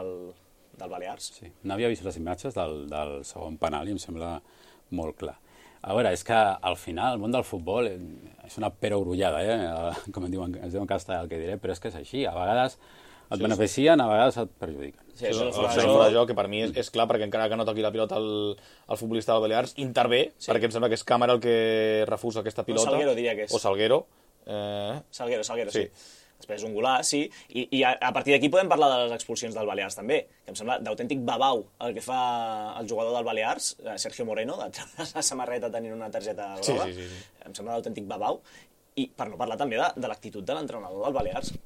del Balears. Sí, n'havia vist les imatges del segon penal i em sembla molt clar. A veure, és que al final el món del futbol és una perogrullada, com es diu en castellà el que diré, però és que és així. A vegades et beneficien, a vegades et perjudiquen. Sí, això és fora de joc, que per mi és clar, perquè encara que no toqui la pilota el futbolista del Balears, intervé, perquè em sembla que és Càmera el que refusa aquesta pilota. O Salguero, diria que és. O Salguero. Salguero, sí. Després un Golà, sí, i a partir d'aquí podem parlar de les expulsions del Balears també, que em sembla d'autèntic babau el que fa el jugador del Balears, Sergio Moreno, de treure la samarreta tenint una targeta groga. Sí. Em sembla d'autèntic babau, i per no parlar també de l'actitud de l'entrenador del Balears.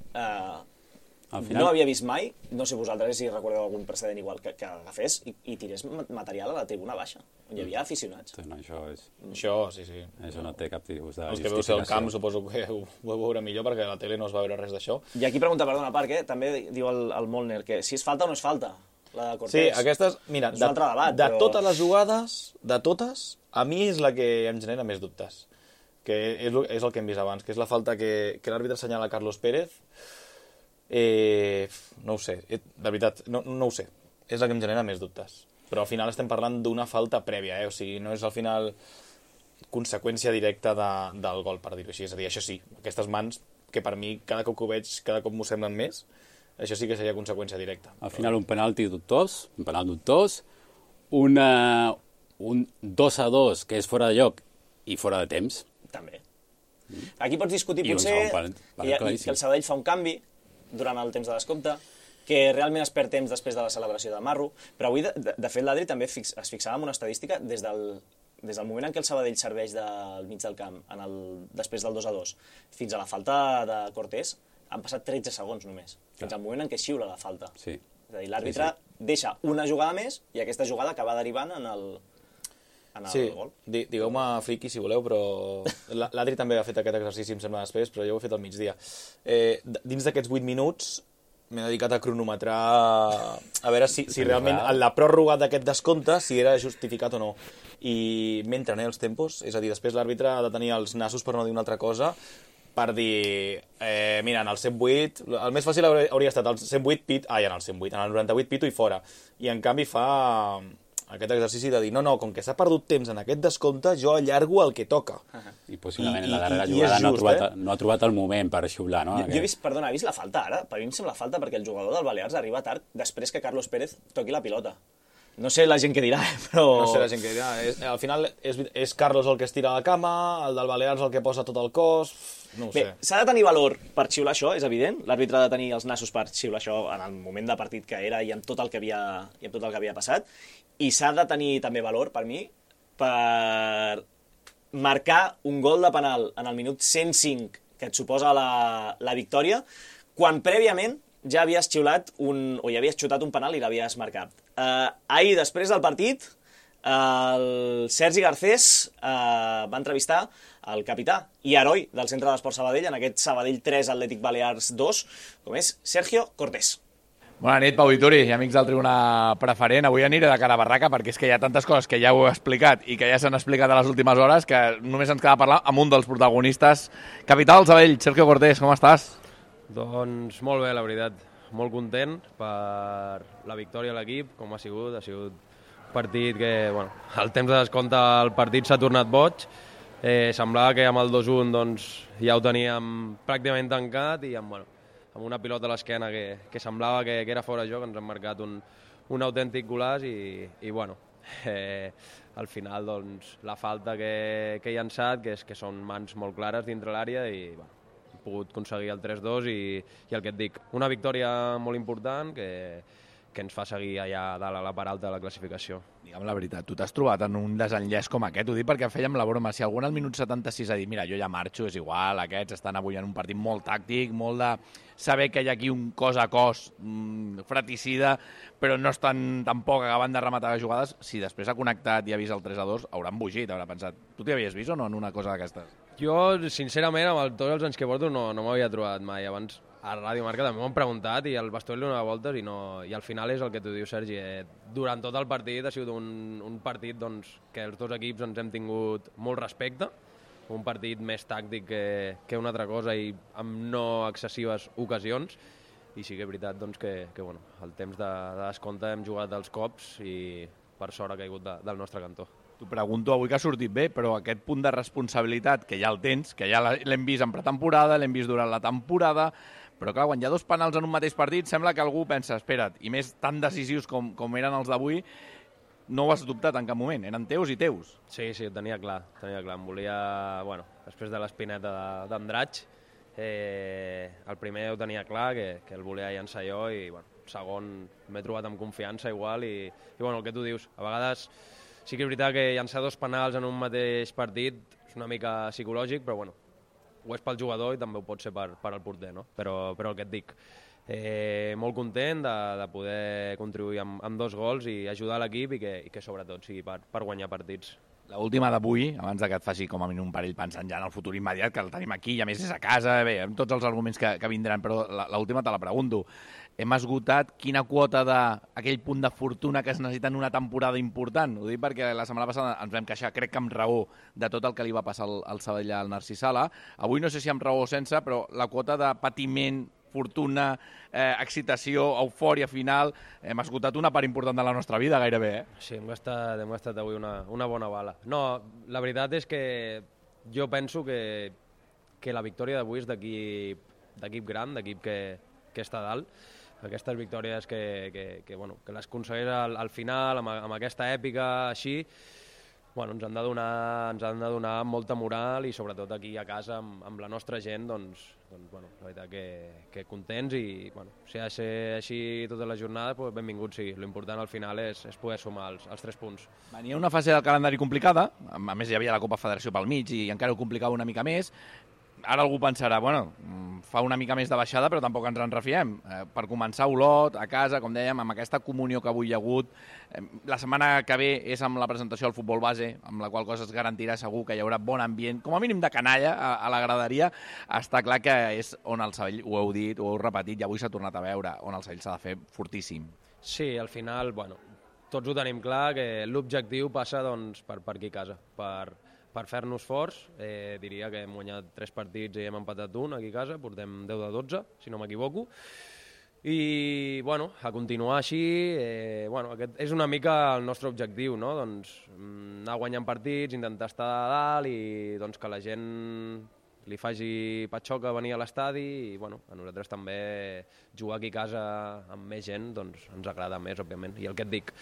No havia vist mai, no sé vosaltres si recordeu algun precedent igual, que agafés i tirés material a la tribuna baixa, on hi havia aficionats. No, Això, sí. Això no té cap tipus de justificació. Els que veu ser al camp suposo que ho veureu millor, perquè a la tele no es va veure res d'això. I aquí pregunta, perdona, perquè també diu el Molner que si és falta o no és falta, la de Cortés. Sí, aquestes, mira, és un altre debat, de totes les jugades, a mi és la que em genera més dubtes, que és el que hem vist abans, que és la falta que l'àrbitre assenyala a Carlos Pérez. No ho sé, de veritat, no ho sé. És el que em genera més dubtes. Però al final estem parlant d'una falta prèvia, o sigui, no és al final conseqüència directa del gol, per dir-ho així. És a dir, això sí, aquestes mans, que per mi, cada cop que ho veig, cada cop m'ho semblen més, això sí que seria conseqüència directa. Al final un penal dubtós, un 2-2 que és fora de lloc i fora de temps. També. Aquí pots discutir I un potser segon penal claríssim. que el Sabadell fa un canvi durant el temps de descompte, que realment es perd temps després de la celebració de Marro, però avui, de fet, l'Adri també es fixava en una estadística des del moment en què el Sabadell serveix del mig del camp, després del 2-2, fins a la falta de Cortés, han passat 13 segons només, fins al moment en què xiula la falta. Sí. És a dir, l'àrbitre deixa una jugada més i aquesta jugada acaba derivant en el gol. Digueu-me friqui si voleu, però l'Adri també ha fet aquest exercici, em sembla, després, però jo ho he fet al migdia. Dins d'aquests 8 minuts m'he dedicat a cronometrar a veure si realment la pròrroga d'aquest descompte si era justificat o no. I m'entren els tempos, és a dir, després l'àrbitre ha de tenir els nassos, per no dir una altra cosa, per dir, mira, en el 108, el més fàcil hauria estat el 108 en el 98 pito i fora. I en canvi fa aquest exercici de dir, no, com que s'ha perdut temps en aquest descompte, jo allargo el que toca. I possiblement en la darrera jugada no ha trobat el moment per xiular, no? Jo he vist la falta ara? Per mi em sembla falta perquè el jugador del Balears arriba tard després que Carlos Pérez toqui la pilota. No sé la gent què dirà, però... No sé la gent què dirà. Al final és Carlos el que es tira a la cama, el del Balears el que posa tot el cos... No ho sé. Bé, s'ha de tenir valor per xiular això, és evident. L'àrbitre ha de tenir els nassos per xiular això en el moment de partit que era i amb tot el que havia passat. I s'ha de tenir també valor, per mi, per marcar un gol de penal en el minut 105 que et suposa la victòria, quan prèviament ja havies xiulat ja havies xutat un penal i l'havies marcat. Ahir, després del partit, el Sergi Garcés va entrevistar el capità i heroi del Centre d'Esport Sabadell, en aquest Sabadell 3, Atlètic Balears 2, com és Sergio Cortés. Bona nit, Pau Vituri i amics del Tribuna Preferent. Avui aniré de cara a barraca perquè és que hi ha tantes coses que ja ho he explicat i que ja s'han explicat a les últimes hores que només ens queda parlar amb un dels protagonistes. Capità del Sabadell, Sergio Cortés, com estàs? Doncs molt bé, la veritat. Molt content per la victòria a l'equip, com ha sigut. Ha sigut un partit que, bueno, al temps de descompte el partit s'ha tornat boig. Semblava que amb el 2-1 doncs, ja ho teníem pràcticament tancat i amb una pilota a l'esquena que semblava que era fora de joc, ens han marcat un autèntic golaç i bueno, al final doncs, la falta que he llançat, que són mans molt clares dintre l'àrea i bueno, he pogut aconseguir el 3-2 i el que et dic, una victòria molt important que ens fa seguir allà dalt a la part alta de la classificació. Digue'm la veritat, tu t'has trobat en un desenllaç com aquest, ho dic perquè fèiem la broma, si algú al minut 76 ha dit, mira, jo ja marxo, és igual, aquests estan avui en un partit molt tàctic, molt de saber que hi ha aquí un cos a cos fratricida, però no estan tampoc acabant de rematar les jugades, si després ha connectat i ha vist el 3-2, hauran bugit, haurà pensat, tu t'hi havies vist o no en una cosa d'aquestes? Jo, sincerament, amb tots els anys que porto no m'havia trobat mai. Abans a Ràdio Marca també m'ho han preguntat i al vestuari li donava voltes i al final és el que tu dius, Sergi. Durant tot el partit ha sigut un partit doncs, que els dos equips ens hem tingut molt respecte, un partit més tàctic que una altra cosa i amb no excessives ocasions, i sí que és veritat doncs, que bueno, el temps de descompte hem jugat dels cops i per sort ha caigut del nostre cantó. T'ho pregunto avui que ha sortit bé, però aquest punt de responsabilitat que ja el tens, que ja l'hem vist en pretemporada, l'hem vist durant la temporada, però clar, quan hi ha dos penals en un mateix partit, sembla que algú pensa, espera't, i més tan decisius com eren els d'avui, no ho has dubtat en cap moment, eren teus i teus. Sí, ho tenia clar. Em volia, bueno, després de l'espineta d'Andratx, el primer ho tenia clar, que el volia llançar jo, i bueno, el segon m'he trobat amb confiança igual, i bueno, el que tu dius, a vegades sí que és veritat que llançar dos penals en un mateix partit és una mica psicològic, però bueno, ho és pel jugador i també ho pot ser per al porter, no? Però el que et dic, molt content de poder contribuir amb dos gols i ajudar l'equip i que sobretot sigui per guanyar partits. L'última d'avui, abans que et faci com a mínim un parell pensant ja en el futur immediat, que el tenim aquí i a més és a casa, bé, amb tots els arguments que vindran, però l'última te la pregunto. Hem esgotat quina quota d'aquell punt de fortuna que es necessita en una temporada important? Ho dic perquè la setmana passada ens vam queixar, crec que amb raó, de tot el que li va passar al Sabadell al Narcís Sala. Avui no sé si amb raó o sense, però la quota de patiment fortuna, excitació, eufòria final. Hem esgotat una part important de la nostra vida, gairebé, Sí, hem gastat avui una bona bala. No, la veritat és que jo penso que la victòria d'avui és d'equip gran, d'equip que està dalt. Aquestes victòries que les aconsegueix al final, amb aquesta èpica així, ens han de donar molta moral i sobretot aquí a casa amb la nostra gent, doncs la veritat que contents i si ha de ser així tota la jornada, doncs benvingut sigui. L'important al final és poder sumar els 3 punts. Venia una fase del calendari complicada, a més hi havia la Copa Federació pel mig i encara ho complicava una mica més. Ara algú pensarà, fa una mica més de baixada, però tampoc ens en refiem. Per començar, Olot, a casa, com dèiem, amb aquesta comunió que avui hi ha hagut. La setmana que ve és amb la presentació del futbol base, amb la qual cosa es garantirà segur que hi haurà bon ambient, com a mínim de canalla a la graderia. Està clar que és on el Sabadell, ho heu dit, ho heu repetit, i avui s'ha tornat a veure, on el Sabadell s'ha de fer fortíssim. Sí, al final, tots ho tenim clar, que l'objectiu passa per aquí a casa, per fer-nos forts. Diria que hem guanyat 3 partits i hem empatat un aquí a casa, portem 10 de 12, si no m'equivoco. I, a continuar així, aquest és una mica el nostre objectiu, no? Anar guanyant partits, intentar estar a dalt i que la gent li faci patxoca venir a l'estadi i, a nosaltres també jugar aquí a casa amb més gent, ens agrada més, òbviament. I el que et dic,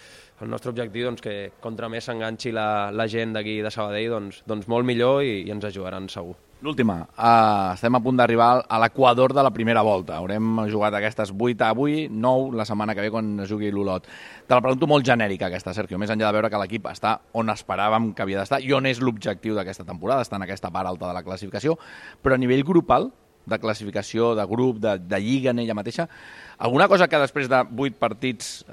el nostre objectiu, que contra més s'enganxi la gent d'aquí de Sabadell, molt millor i ens ajudaran segur. L'última, estem a punt d'arribar a l'equador de la primera volta. Haurem jugat aquestes 8 avui, 9 la setmana que ve quan es jugui l'Olot. Te la pregunto molt genèrica, aquesta, Sergio, més enllà de veure que l'equip està on esperàvem que havia d'estar i on és l'objectiu d'aquesta temporada, està en aquesta part alta de la classificació, però a nivell grupal, de classificació, de grup, de lliga en ella mateixa, alguna cosa que després de 8 partits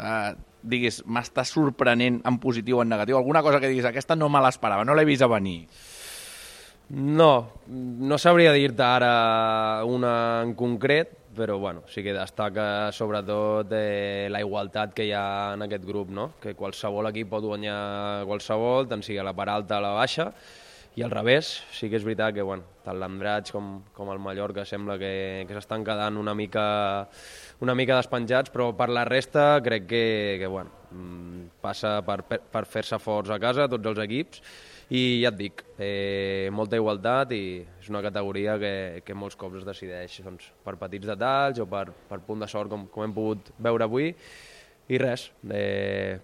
diguis, m'està sorprenent en positiu o en negatiu, alguna cosa que diguis, aquesta no me l'esperava, no l'he vist a venir? No sabria dir-te ara una en concret, però sí que destaca sobretot la igualtat que hi ha en aquest grup, no? Que qualsevol equip pot guanyar qualsevol, tant sigui a la part alta o a la baixa, i al revés. Sí que és veritat que tant l'Andratx com el Mallorca sembla que s'estan quedant una mica despenjats, però per la resta crec que passa per fer-se forts a casa tots els equips. I ja et dic, molta igualtat i és una categoria que molts cops es decideix per petits detalls o per punt de sort com hem pogut veure avui i res,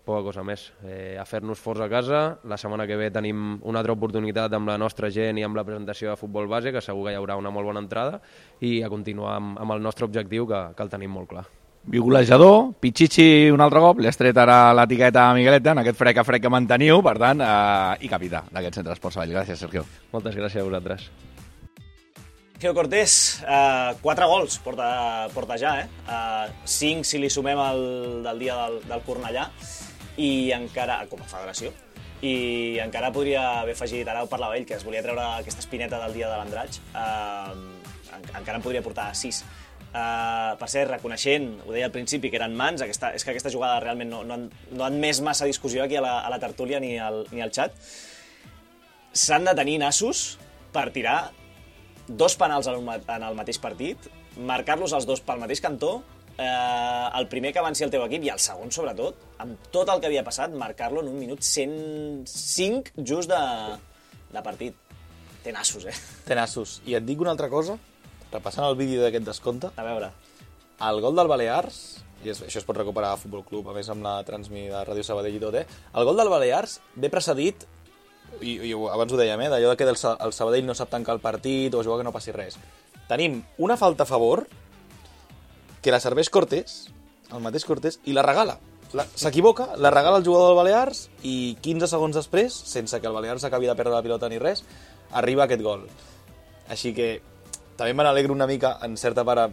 poca cosa més, a fer-nos forts a casa. La setmana que ve tenim una altra oportunitat amb la nostra gent i amb la presentació de futbol base, que segur que hi haurà una molt bona entrada, i a continuar amb el nostre objectiu que el tenim molt clar. Golejador, Pichichi un altre cop, li has tret ara l'etiqueta a Migueleta en aquest frec a frec que manteniu, per tant, i capità d'aquest centre d'Esports Sabadell. Gràcies, Sergio. Moltes gràcies a vosaltres. Sergio Cortés, 4 gols porta ja, 5 si li sumem del dia del Cornellà, i encara, com a federació, i encara podria haver afegit, ara ho parlava ell, que es volia treure aquesta espineta del dia de l'Andratx, encara en podria portar 6. Per ser reconeixent, ho deia al principi, que eren mans, és que aquesta jugada realment no han més massa discussió aquí a la tertúlia ni al xat. S'han de tenir nassos per tirar 2 penals en el mateix partit, marcar-los els 2 pel mateix cantó, el primer que avanci el teu equip i el segon, sobretot, amb tot el que havia passat, marcar-lo en un minut 105 just de partit. Té nassos, Té nassos. I et dic una altra cosa, repassant el vídeo d'aquest descompte. A veure. El gol del Balears, i això es pot recuperar a Futbol Club, a més amb la transmissió de Ràdio Sabadell i tot, el gol del Balears ve precedit, i abans ho dèiem, d'allò que el Sabadell no sap tancar el partit o jugar que no passi res. Tenim una falta a favor que la serveix Cortés, el mateix Cortés, i la regala. S'equivoca, la regala el jugador del Balears i 15 segons després, sense que el Balears acabi de perdre la pilota ni res, arriba aquest gol. Així que també me n'alegro una mica, en certa part,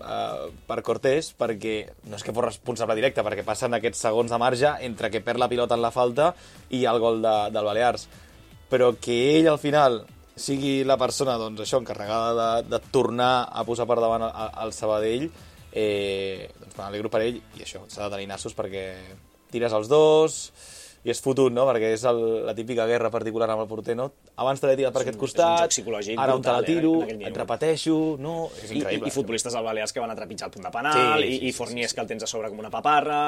per Cortés, perquè no és que fos responsable directe, perquè passen aquests segons de marge entre que perd la pilota en la falta i el gol del Balears. Però que ell, al final, sigui la persona encarregada de tornar a posar per davant el Sabadell, me n'alegro per ell, i això, s'ha de tenir nassos perquè tires els 2, i és fotut, no? Perquè és la típica guerra particular amb el porter, no? Abans te l'he tirat per aquest costat, joc psicològic ara on te la brutal, tiro, en aquell minut. et repeteixo, no? És increïble. I futbolistes al Balears que van a trepitjar el punt de penal, i Fornies que el tens a sobre com una paparra...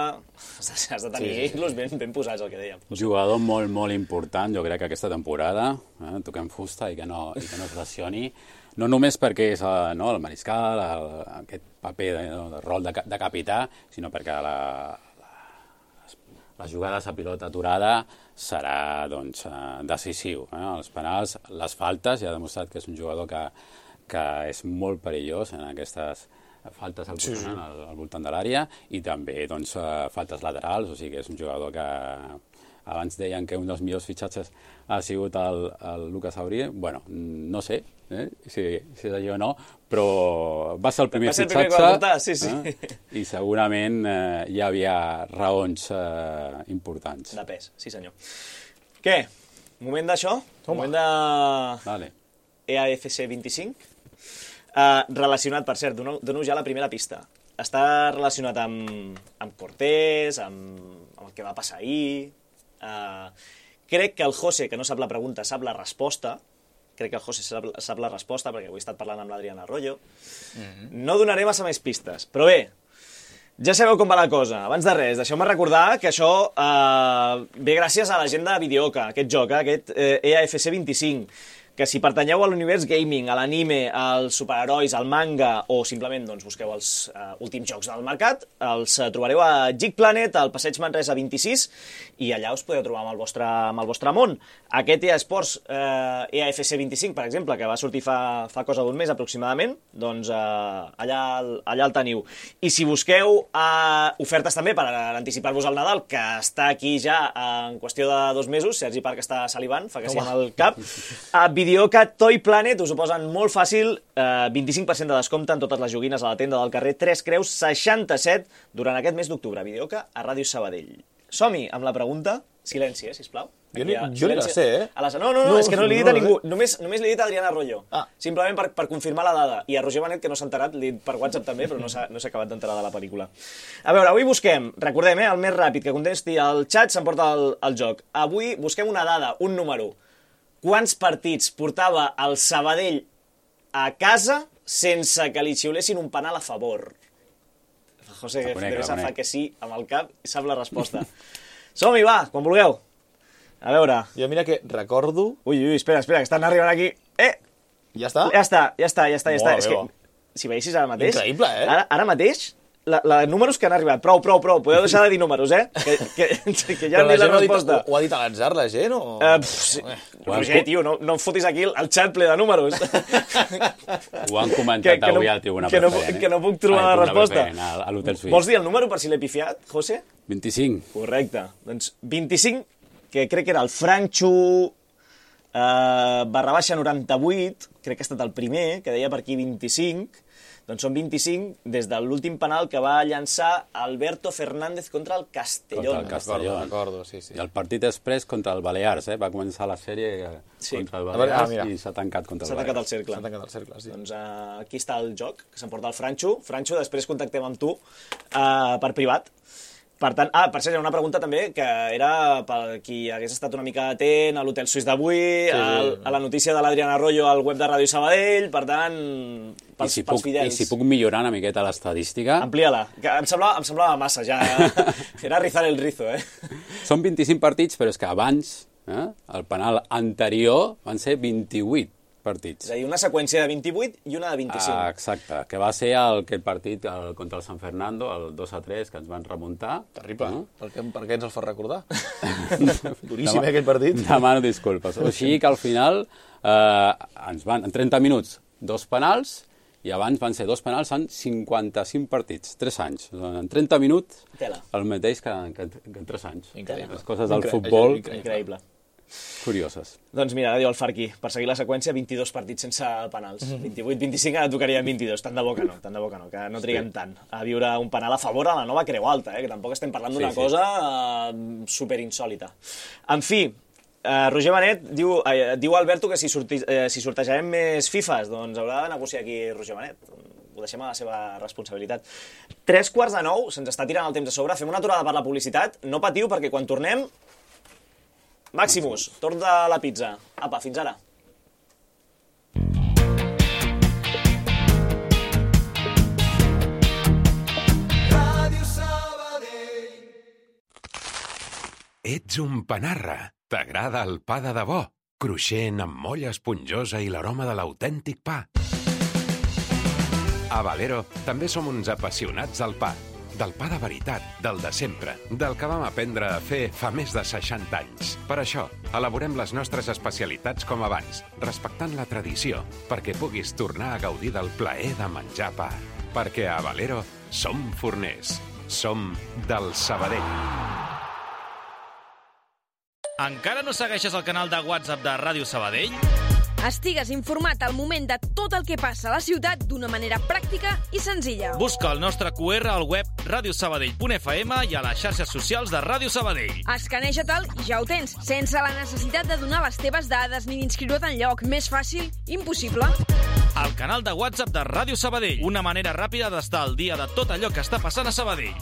Has de tenir-los ben posats, el que dèiem. Jugador molt, molt important, jo crec que aquesta temporada, toquem fusta i que no es lesioni, no només perquè és el mariscal, aquest paper de rol de capità, sinó perquè les jugades a pilota aturada serà decisiu. Els penals, les faltes, ja ha demostrat que és un jugador que és molt perillós en aquestes faltes al voltant de l'àrea i també faltes laterals, o sigui que és un jugador que abans deien que un dels millors fitxatges ha sigut el Lucas Aurier. Bueno, no sé si és allò o no, però va ser el primer fitxatge i segurament hi havia raons importants. De pes, sí senyor. Què? Moment d'això? Moment de EAFC 25? Relacionat, per cert, dono ja la primera pista. Està relacionat amb Cortés, amb el que va passar ahir... Crec que el José, que no sap la pregunta, sap la resposta. Crec que el José sap la resposta, perquè avui he estat parlant amb l'Adriana Arroyo. No donaré massa més pistes, però bé, ja sabeu com va la cosa. Abans de res, deixeu-me recordar que això ve gràcies a la gent de Videoca, aquest joc, aquest EAFC 25, que si pertanyeu a l'univers gaming, a l'anime, als superherois, al manga, o simplement busqueu els últims jocs del mercat, els trobareu a Geek Planet, al Passeig Manresa 26, i allà us podeu trobar amb el vostre món. Aquest EA Sports EAFC 25, per exemple, que va sortir fa cosa d'un mes aproximadament, doncs allà el teniu. I si busqueu ofertes també per anticipar-vos al Nadal, que està aquí ja en qüestió de 2 mesos, Sergi Parc està salivant, fa que sí amb el cap, a Videoca Toy Planet us ho posen molt fàcil, 25% de descompte en totes les joguines a la tenda del carrer 3 Creus 67 durant aquest mes d'octubre. Videoca a Ràdio Sabadell. Som-hi amb la pregunta. Silenci, sisplau. Jo ni la sé, No, és que no li he dit a ningú. Només li he dit a Adriana Arroyo. Simplement per confirmar la dada. I a Roger Benet, que no s'ha enterat, li he dit per WhatsApp també, però no s'ha acabat d'enterar de la pel·lícula. A veure, avui busquem, recordem, el més ràpid que contesti al xat s'emporta el joc. Avui busquem una dada, un número. Quants partits portava el Sabadell a casa sense que li xiulessin un penal a favor? José Devesa fa que sí amb el cap i sap la resposta. Som-hi, va, quan vulgueu. A veure... Jo mira que recordo... Ui, espera, que estan arribant aquí. Ja està? Ja està. És que, si veiessis ara mateix... Increïble, Ara mateix, números que han arribat. Prou. Podeu deixar de dir números, que ja han dit la resposta. Ho ha dit a l'atzar la gent, o...? Roger, tio, no em fotis aquí el xat ple de números. Ho han comentat avui al Tribuna Preferent. Que no puc trobar la resposta. A l'Hotel Suís. Vols dir el número per si l'he pifiat, José? 25. Correcte. Doncs 25, que crec que era el Franxo /98, crec que ha estat el primer, que deia per aquí 25, doncs són 25 des de l'últim penal que va llançar Alberto Fernández contra el Castellón. Recordo, sí. I el partit després contra el Balears, va començar la sèrie contra el Balears i s'ha tancat contra el Balears. S'ha tancat el cercle, sí. Doncs aquí està el joc, que s'emporta el Franxo. Franxo, després contactem amb tu per privat. Per tant, per cert, hi ha una pregunta també, que era per qui hagués estat una mica atent a l'Hotel Suís d'avui, a la notícia de l'Adriana Arroyo al web de Ràdio Sabadell, per tant, pels fidels. I si puc millorar una miqueta l'estadística... Amplia-la, que em semblava massa, ja. Era rizar el rizo, Són 25 partits, però és que abans, el penal anterior, van ser 28 partits. És a dir, una seqüència de 28 i una de 25. Exacte, que va ser aquell partit contra el San Fernando, el 2-3, que ens van remuntar. Terrible. Per què ens el fa recordar? Duríssim, aquell partit. Demano disculpes. O sigui que al final ens van, en 30 minuts, 2 penals, i abans van ser 2 penals en 55 partits, 3 anys. En 30 minuts, el mateix que en 3 anys. Increïble. Les coses del futbol... Increïble. Curioses. Doncs mira, diu el Farqui, per seguir la seqüència, 22 partits sense penals. 28-25, ara tocarien 22. Tant de bo que no, que no triguem tant a viure un penal a favor a la nova Creu Alta, que tampoc estem parlant d'una cosa superinsòlita. En fi, Roger Benet diu Alberto que si sortejarem més FIFAs, doncs haurà de negociar aquí Roger Benet. Ho deixem a la seva responsabilitat. 3:45, se'ns està tirant el temps a sobre, fem una aturada per la publicitat. No patiu, perquè quan tornem Maximus, torn de la pizza. Apa, fins ara. Ets un panarra. T'agrada el pa de debò, cruixent amb molla esponjosa i l'aroma de l'autèntic pa. A Valero també som uns apassionats del pa de veritat, del de sempre, del que vam aprendre a fer fa més de 60 anys. Per això, elaborem les nostres especialitats com abans, respectant la tradició, perquè puguis tornar a gaudir del plaer de menjar pa. Perquè a Valero som forners, som del Sabadell. Encara no segueixes el canal de WhatsApp de Ràdio Sabadell? Estigues informat al moment de tot el que passa a la ciutat d'una manera pràctica i senzilla. Busca el nostre QR al web radiosabadell.fm i a les xarxes socials de Ràdio Sabadell. Escaneja-te'l i ja ho tens, sense la necessitat de donar les teves dades ni d'inscriure't enlloc. Més fàcil, impossible. El canal de WhatsApp de Ràdio Sabadell. Una manera ràpida d'estar al dia de tot allò que està passant a Sabadell.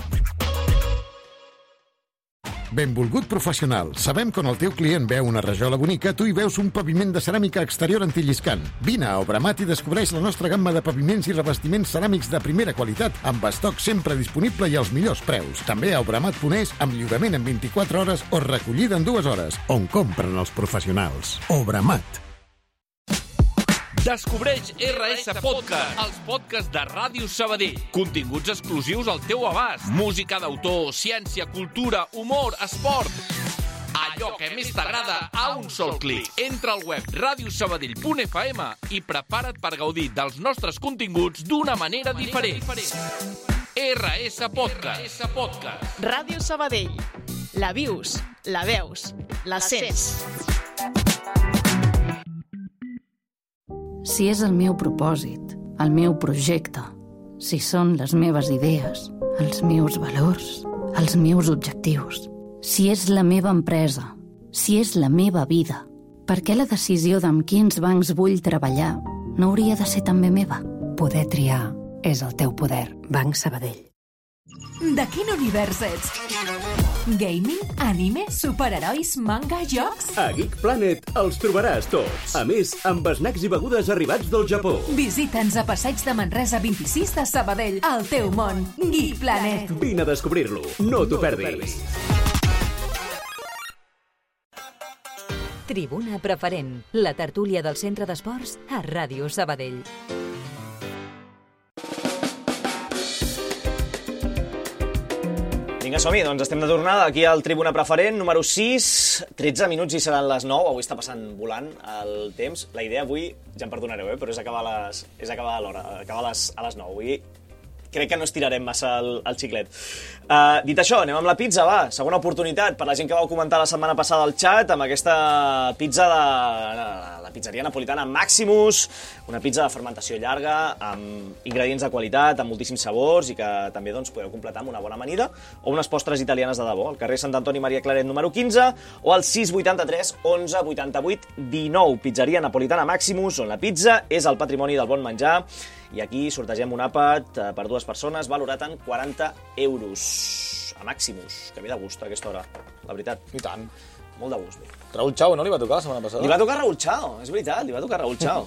Benvolgut professional, sabem que on el teu client veu una rajola bonica, tu hi veus un paviment de ceràmica exterior antilliscant. Vine a Obramat i descobreix la nostra gamma de paviments i revestiments ceràmics de primera qualitat, amb estoc sempre disponible i als millors preus. També a Obramat.es, amb lliurament en 24 hores o recollida en 2 hores, on compren els professionals. Obramat. Descobreix RS Podcast, els podcasts de Ràdio Sabadell. Continguts exclusius al teu abast. Música d'autor, ciència, cultura, humor, esport. Allò que més t'agrada a un sol clic. Entra al web radiosabadell.fm i prepara't per gaudir dels nostres continguts d'una manera diferent. RS Podcast. Ràdio Sabadell. La vius, la veus, la sents. Si és el meu propòsit, el meu projecte, si són les meves idees, els meus valors, els meus objectius, si és la meva empresa, si és la meva vida, per què la decisió d'amb quins bancs vull treballar no hauria de ser també meva? Poder triar és el teu poder. Banc Sabadell. De quin univers ets? Gaming, anime, superherois, manga, jocs? A Geek Planet els trobaràs tots. A més, amb snacks i begudes arribats del Japó. Visita'ns a Passeig de Manresa 26 de Sabadell, el teu món. Geek Planet. Vine a descobrir-lo. No t'ho perdis. Tribuna Preferent, la tertúlia del Centre d'Esports a Ràdio Sabadell. Vinga, som-hi, doncs estem de tornada aquí al Tribuna Preferent, número 6, 13 minuts i seran les 9, avui està passant volant el temps. La idea avui, ja em perdonareu, però és acabar a l'hora, acabar a les 9. Avui crec que no estirarem massa el xiclet. Dit això, anem amb la pizza, va. Segona oportunitat per la gent que vau comentar la setmana passada al xat amb aquesta pizza de la pizzeria napolitana Maximus, una pizza de fermentació llarga, amb ingredients de qualitat, amb moltíssims sabors i que també doncs, podeu completar amb una bona amanida o unes postres italianes de debò. Al carrer Sant Antoni Maria Claret número 15 o al 683 11 88 19. Pizzeria napolitana Maximus, on la pizza és el patrimoni del bon menjar. I aquí sortegem un àpat per 2 persones valorat en 40 euros. A Maximus, que ve de gust a aquesta hora, la veritat. I tant. Molt de gust. Raúl Chao, no li va tocar la setmana passada? Li va tocar Raúl Chao, és veritat, li va tocar Raúl Chao.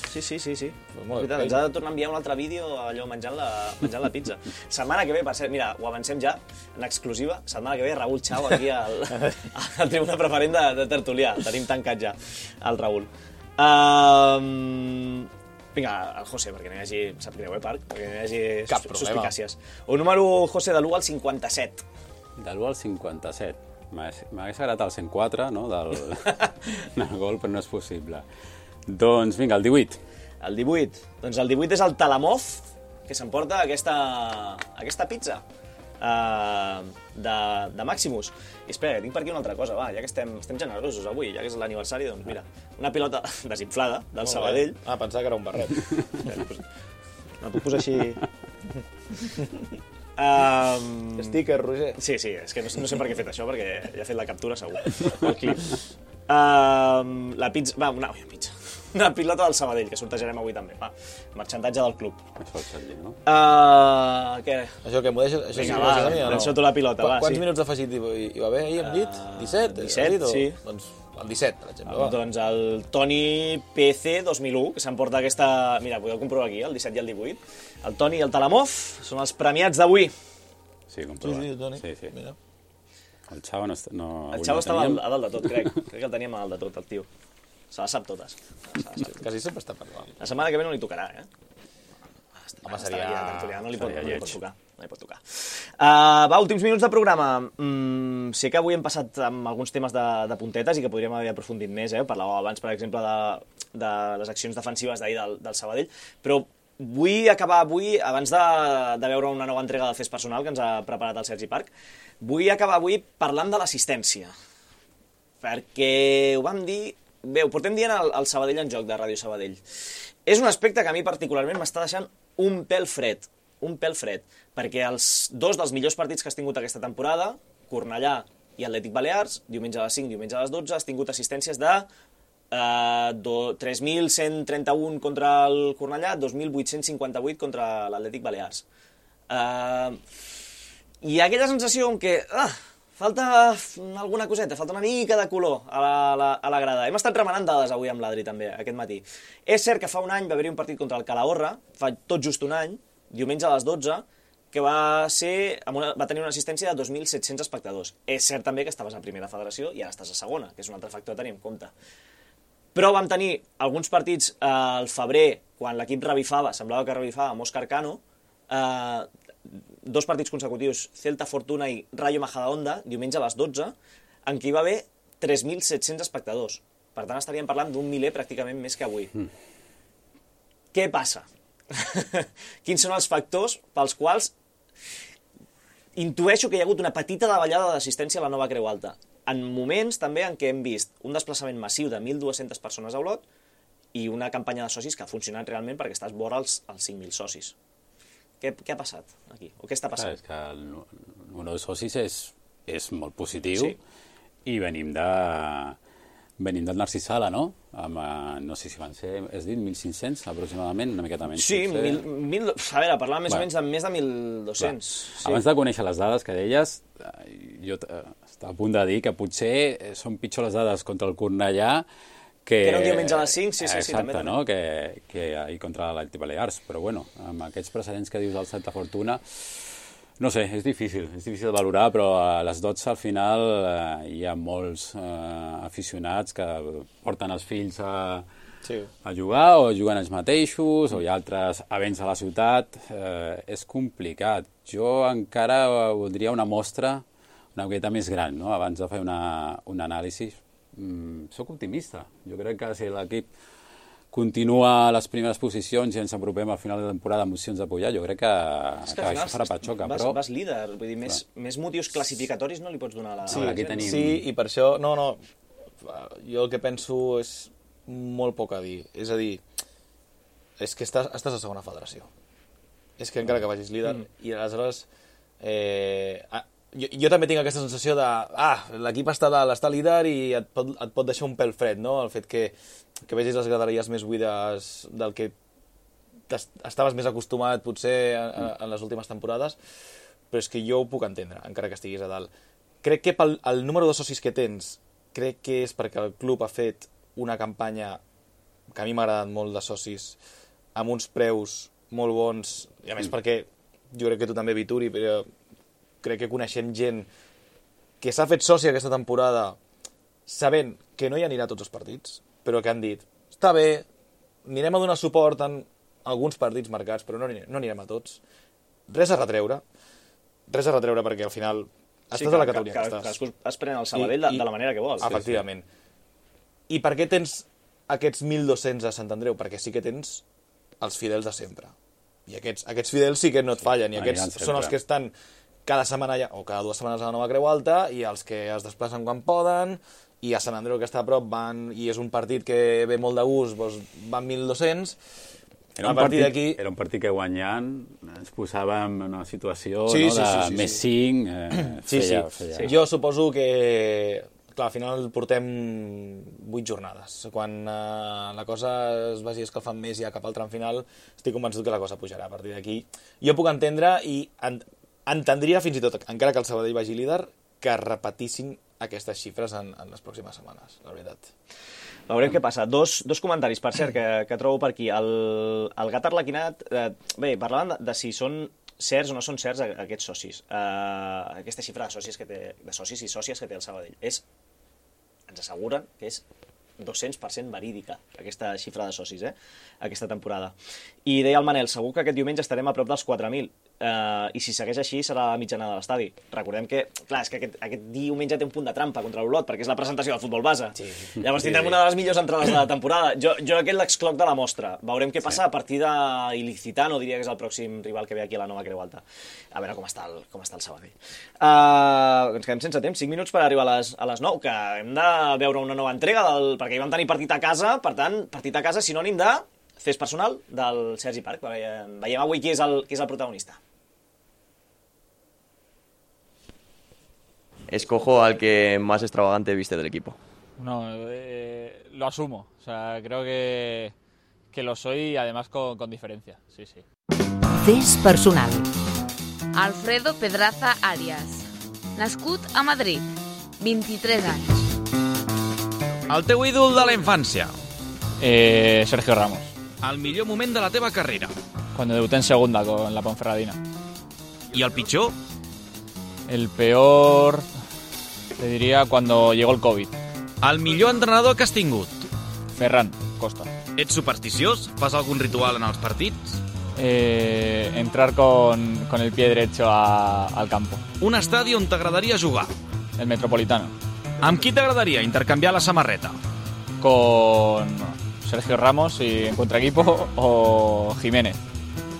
Sí. Pues molt veritat, ens ha de tornar a enviar un altre vídeo allò menjant la pizza. Setmana que ve, per ser, mira, ho avancem ja, en exclusiva, setmana que ve Raúl Chao aquí al Tribuna Preferent de Tertulià. Tenim tancat ja el Raúl. Vinga, el José, perquè no hi hagi... Sap greu, Parc? Perquè no hi hagi suspicàcies. Un número, José, de l'1 al 57. De l'1 al 57. M'hagués agradat el 104, no?, del gol, però no és possible. Doncs vinga, el 18. El 18. Doncs el 18 és el Talamov, que s'emporta aquesta pizza de Maximus. I espera, tinc per aquí una altra cosa, va, ja que estem generosos avui, ja que és l'aniversari, doncs mira, una pilota desinflada del Sabadell. Pensava que era un barret. La puc posar així... Sticker, Roger. Sí, és que no sé per què he fet això, perquè ja he fet la captura segur, el clip. La pizza... Va, una pizza. una pilota del Sabadell, que sortejarem avui també. Va, marxantatge del club. Això és el no? Què? Això que m'ho deixes? Això Vinga, sí que va, m'ho deixes a mi o no? llenço tu la pilota, va, Quants sí. minuts d'afegit hi va haver ahir, hem dit? 17? 17, sí. Doncs el 17, per exemple. Doncs el Toni PC 2001, que s'emporta aquesta... Mira, podeu comprovar aquí, el 17 i el 18. El Toni i el Talamov són els premiats d'avui. Sí, comprovat. Sí, Toni. Sí. Mira. El Xavo no... El Xavo estava a dalt de tot, crec. Crec que el teníem a dalt de tot, el tio. Se les sap totes. Quasi sempre està parlant. La setmana que ve no li tocarà, eh? Home, seria... No li pot tocar. No li pot tocar. Va, últims minuts de programa. Sé que avui hem passat amb alguns temes de puntetes i que podríem haver aprofundit més, eh? Parlàvem abans, per exemple, de les accions defensives d'ahir del Sabadell, però vull acabar avui, abans de veure una nova entrega del Fes Personal que ens ha preparat el Sergi Parc, vull acabar avui parlant de l'assistència. Perquè ho vam dir... Bé, ho portem dient al Sabadell en joc, de Ràdio Sabadell. És un aspecte que a mi particularment m'està deixant un pèl fred, perquè els dos dels millors partits que has tingut aquesta temporada, Cornellà i Atlètic Balears, diumenge a les 5, diumenge a les 12, has tingut assistències de 3.131 contra el Cornellà, 2.858 contra l'Atlètic Balears. Hi ha aquella sensació en què falta alguna coseta, falta una mica de color a la grada. Hem estat remenant dades avui amb l'Adri també, aquest matí. És cert que fa un any va haver-hi un partit contra el Calahorra, fa tot just un any, diumenge a les 12, que va tenir una assistència de 2.700 espectadors. És cert també que estaves a primera federació i ara estàs a segona, que és un altre factor a tenir en compte. Però vam tenir alguns partits al febrer, quan l'equip revifava, semblava que revifava amb Òscar Cano, dos partits consecutius, Celta Fortuna i Rayo Majadahonda, diumenge a les 12, en què hi va haver 3.700 espectadors. Per tant, estaríem parlant d'un miler pràcticament més que avui. Què passa? Quins són els factors pels quals intueixo que hi ha hagut una petita davallada d'assistència a la nova Creu Alta? En moments també en què hem vist un desplaçament massiu de 1.200 persones a Olot i una campanya de socis que ha funcionat realment perquè estàs vora els 5.000 socis. Què ha passat aquí? O què està passant? És que el número de socis és molt positiu, sí. I venim del Narcís Sala, no? No sé si van ser, has dit, 1.500 aproximadament, una miqueta menys. Sí, a veure, parlàvem més o menys de més de 1.200. Sí. Abans de conèixer les dades que deies, jo estava a punt de dir que potser són pitjor les dades contra el Cornellà que era un diumenge a les 5, sí, exacte, també. No? Que ahir contra l'Atlètic Balears, però bueno, amb aquests precedents que dius del Celta Fortuna, no sé, és difícil de valorar, però a les 12 al final hi ha molts aficionats que porten els fills a jugar o juguen ells mateixos, o hi ha altres events a la ciutat, és complicat. Jo encara voldria una mostra una miqueta més gran, no? Abans de fer un anàlisi. Soc optimista. Jo crec que si l'equip continua a les primeres posicions i ens apropem al final de temporada amb opcions de pujar, jo crec que això farà patxoca. Vas líder, vull dir, més motius classificatoris no li pots donar a la gent. Sí, i per això, jo el que penso és molt poc a dir. És a dir, és que estàs a segona federació. És que encara que vagis líder, i aleshores... Jo també tinc aquesta sensació de l'equip està líder i et pot deixar un pèl fred, no? El fet que vegis les graderies més buides del que estaves més acostumat potser en les últimes temporades, però és que jo ho puc entendre, encara que estiguis a dalt. Crec que pel número de socis que tens, crec que és perquè el club ha fet una campanya que a mi m'ha agradat molt de socis, amb uns preus molt bons, i a més perquè jo crec que tu també, Vituri, però crec que coneixem gent que s'ha fet soci aquesta temporada sabent que no hi anirà a tots els partits, però que han dit, està bé, anirem a donar suport en alguns partits marcats, però no anirem a tots. Res a retreure perquè al final estàs a la categoria que estàs. Cadascú es pren el Sabadell de la manera que vols. Efectivament. I per què tens aquests 1.200 a Sant Andreu? Perquè sí que tens els fidels de sempre. I aquests fidels sí que no et fallen, i aquests són els que estan cada setmana o cada 2 setmanes a la nova Creu Alta, i els que es desplacen quan poden, i a Sant Andreu, que està a prop, van, i és un partit que ve molt de gust, doncs van 1.200. Era un partit que guanyant ens posàvem en una situació més 5. Jo suposo que clar, al final portem 8 jornades. Quan la cosa es vagi escalfant més ja cap al tram final, estic convençut que la cosa pujarà a partir d'aquí. Jo puc entendre i entendria fins i tot, encara que el Sabadell vagi líder, que repetissin aquestes xifres en les pròximes setmanes, la veritat. Veurem què passa. Dos comentaris, per cert, que trobo per aquí. El gat arlequinat... Bé, parlaven de si són certs o no són certs aquests socis. Aquesta xifra de socis i sòcies que té el Sabadell. Ens asseguren que és 200% verídica, aquesta xifra de socis, aquesta temporada. I deia el Manel, segur que aquest diumenge estarem a prop dels 4.000. I si segueix així serà la mitjana de l'estadi. Recordem que, clar, és que aquest diumenge té un punt de trampa contra l'Olot, perquè és la presentació del futbol base. Sí. Llavors tindrem una de les millors entrades de la temporada. Jo aquest l'excloc de la mostra. Veurem què passa a partir d'Ilicitano, diria que és el pròxim rival que ve aquí a la Nova Creu Alta. A veure com està el Sabadell. Ens quedem sense temps, 5 minuts per arribar a les 9, que hem de veure una nova entrega, perquè hi vam tenir partit a casa, per tant, partit a casa sinònim de fes personal del Sergi Parc. Veiem avui qui és el protagonista. Escojo al que más extravagante viste del equipo. No, lo asumo. O sea, creo que lo soy y además con diferencia. Sí, sí. Fes personal. Alfredo Pedraza Arias. Nascut a Madrid. 23 anys. El teu ídol de la infància. Sergio Ramos. El millor moment de la teva carrera. Cuando debuté en segunda con la Ponferradina. I el pitjor? El peor, te diría, cuando llegó el COVID. El millor entrenador que has tingut? Ferran Costa. Ets supersticiós? Fas algun ritual en els partits? Entrar con el pie derecho al campo. Un estadi on t'agradaria jugar? El Metropolitano. Amb qui t'agradaria intercanviar la samarreta? Con Sergio Ramos y en contraequipo o Jiménez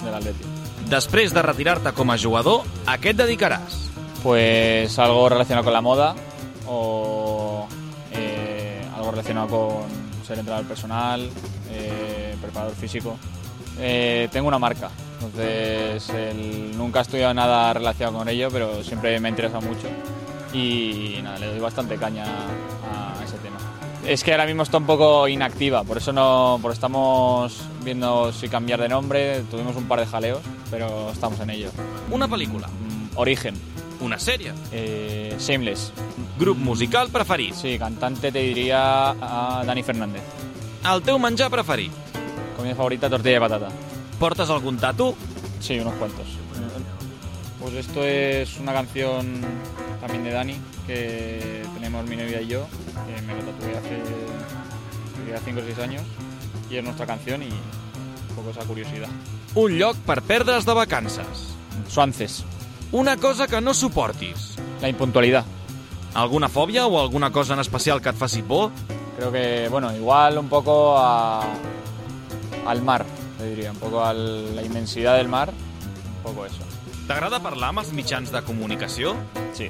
del Atleti. Després de retirar-te com a jugador, a què et dedicaràs? Pues algo relacionado con la moda o algo relacionado con ser entrenador personal, preparador físico. Tengo una marca, entonces nunca he estudiado nada relacionado con ello, pero siempre me ha interesado mucho y nada, le doy bastante caña a ese tema. Es que ahora mismo está un poco inactiva, por eso estamos viendo si cambiar de nombre. Tuvimos un par de jaleos, pero estamos en ello. Una pel·lícula? Origen. Una sèrie? Shameless. Grup musical preferit? Sí, cantante te diría a Dani Fernández. El teu menjar preferit? Comida favorita, tortilla de patata. ¿Portas algún tatu? Sí, unos cuantos. Pues esto es una canción también de Dani, que tenemos mi novia y yo, que me lo tatué hace 5 o 6 años, y es nuestra canción y un poco esa curiosidad. Un lloc per perdre's de vacances? Suances. Una cosa que no suportis? La impuntualidad. Alguna fòbia o alguna cosa en especial que et faci por? Creo que, bueno, igual un poco al mar, te diría, un poco a la inmensidad del mar, un poco eso. T'agrada parlar amb els mitjans de comunicació? Sí.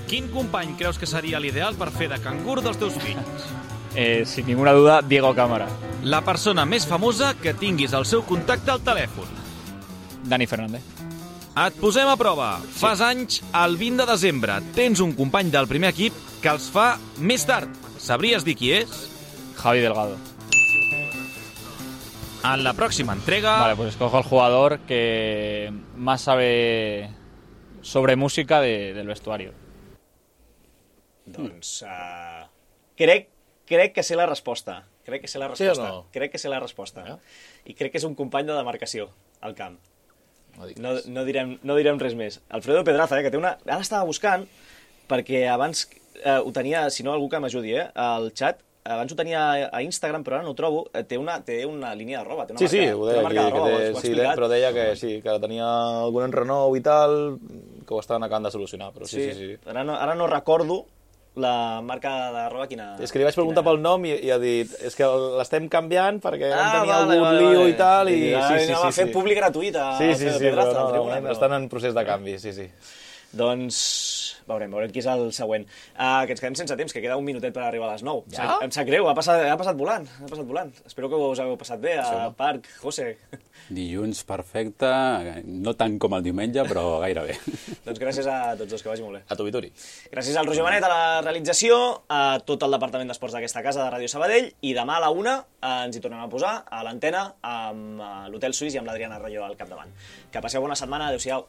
Quin company creus que seria l'ideal per fer de cangur dels teus fills? Sin ninguna duda, Diego Cámara. La persona més famosa que tinguis el seu contacte al telèfon? Dani Fernández. Et posem a prova. Sí. Fas anys, el 20 de desembre, tens un company del primer equip que els fa més tard. Sabries dir qui és? Javi Delgado. En la pròxima entrega... Vale, pues escojo al jugador que más sabe sobre música del vestuario. Doncs crec que sé la resposta. Crec que sé la resposta. Sí o no? Crec que sé la resposta. I crec que és un company de demarcació al camp. No direm res més. Alfredo Pedraza, que té una... Ara estava buscant, perquè abans ho tenia, si no algú que m'ajudi, al xat, abans ho tenia a Instagram, però ara no ho trobo, té una línia de roba, té una marca, ho deia aquí, però deia que sí, que tenia algun enrenou i tal, que ho estaven acabant de solucionar, però sí. Ara no recordo la marca de roba quina... És que li vaig preguntar pel nom i ha dit, és que l'estem canviant perquè vam tenir algun lío i tal, i sí. Va fer públic gratuït a Alfredo Pedraza. Estan en procés de canvi, sí. Doncs, veurem qui és el següent. Que ens quedem sense temps, que queda un minutet per arribar a les 9. Ja? Em sap greu, ha passat volant. Espero que us hagueu passat bé a Parc, José. Dilluns perfecte, no tant com el diumenge, però gairebé. Doncs gràcies a tots dos, que vagi molt bé. A tu, Vituri. Gràcies al Roger Benet a la realització, a tot el departament d'esports d'aquesta casa de Ràdio Sabadell, i demà a la 1 ens hi tornem a posar a l'antena amb l'Hotel Suís i amb l'Adriana Rayó al capdavant. Que passeu bona setmana, adéu-siau.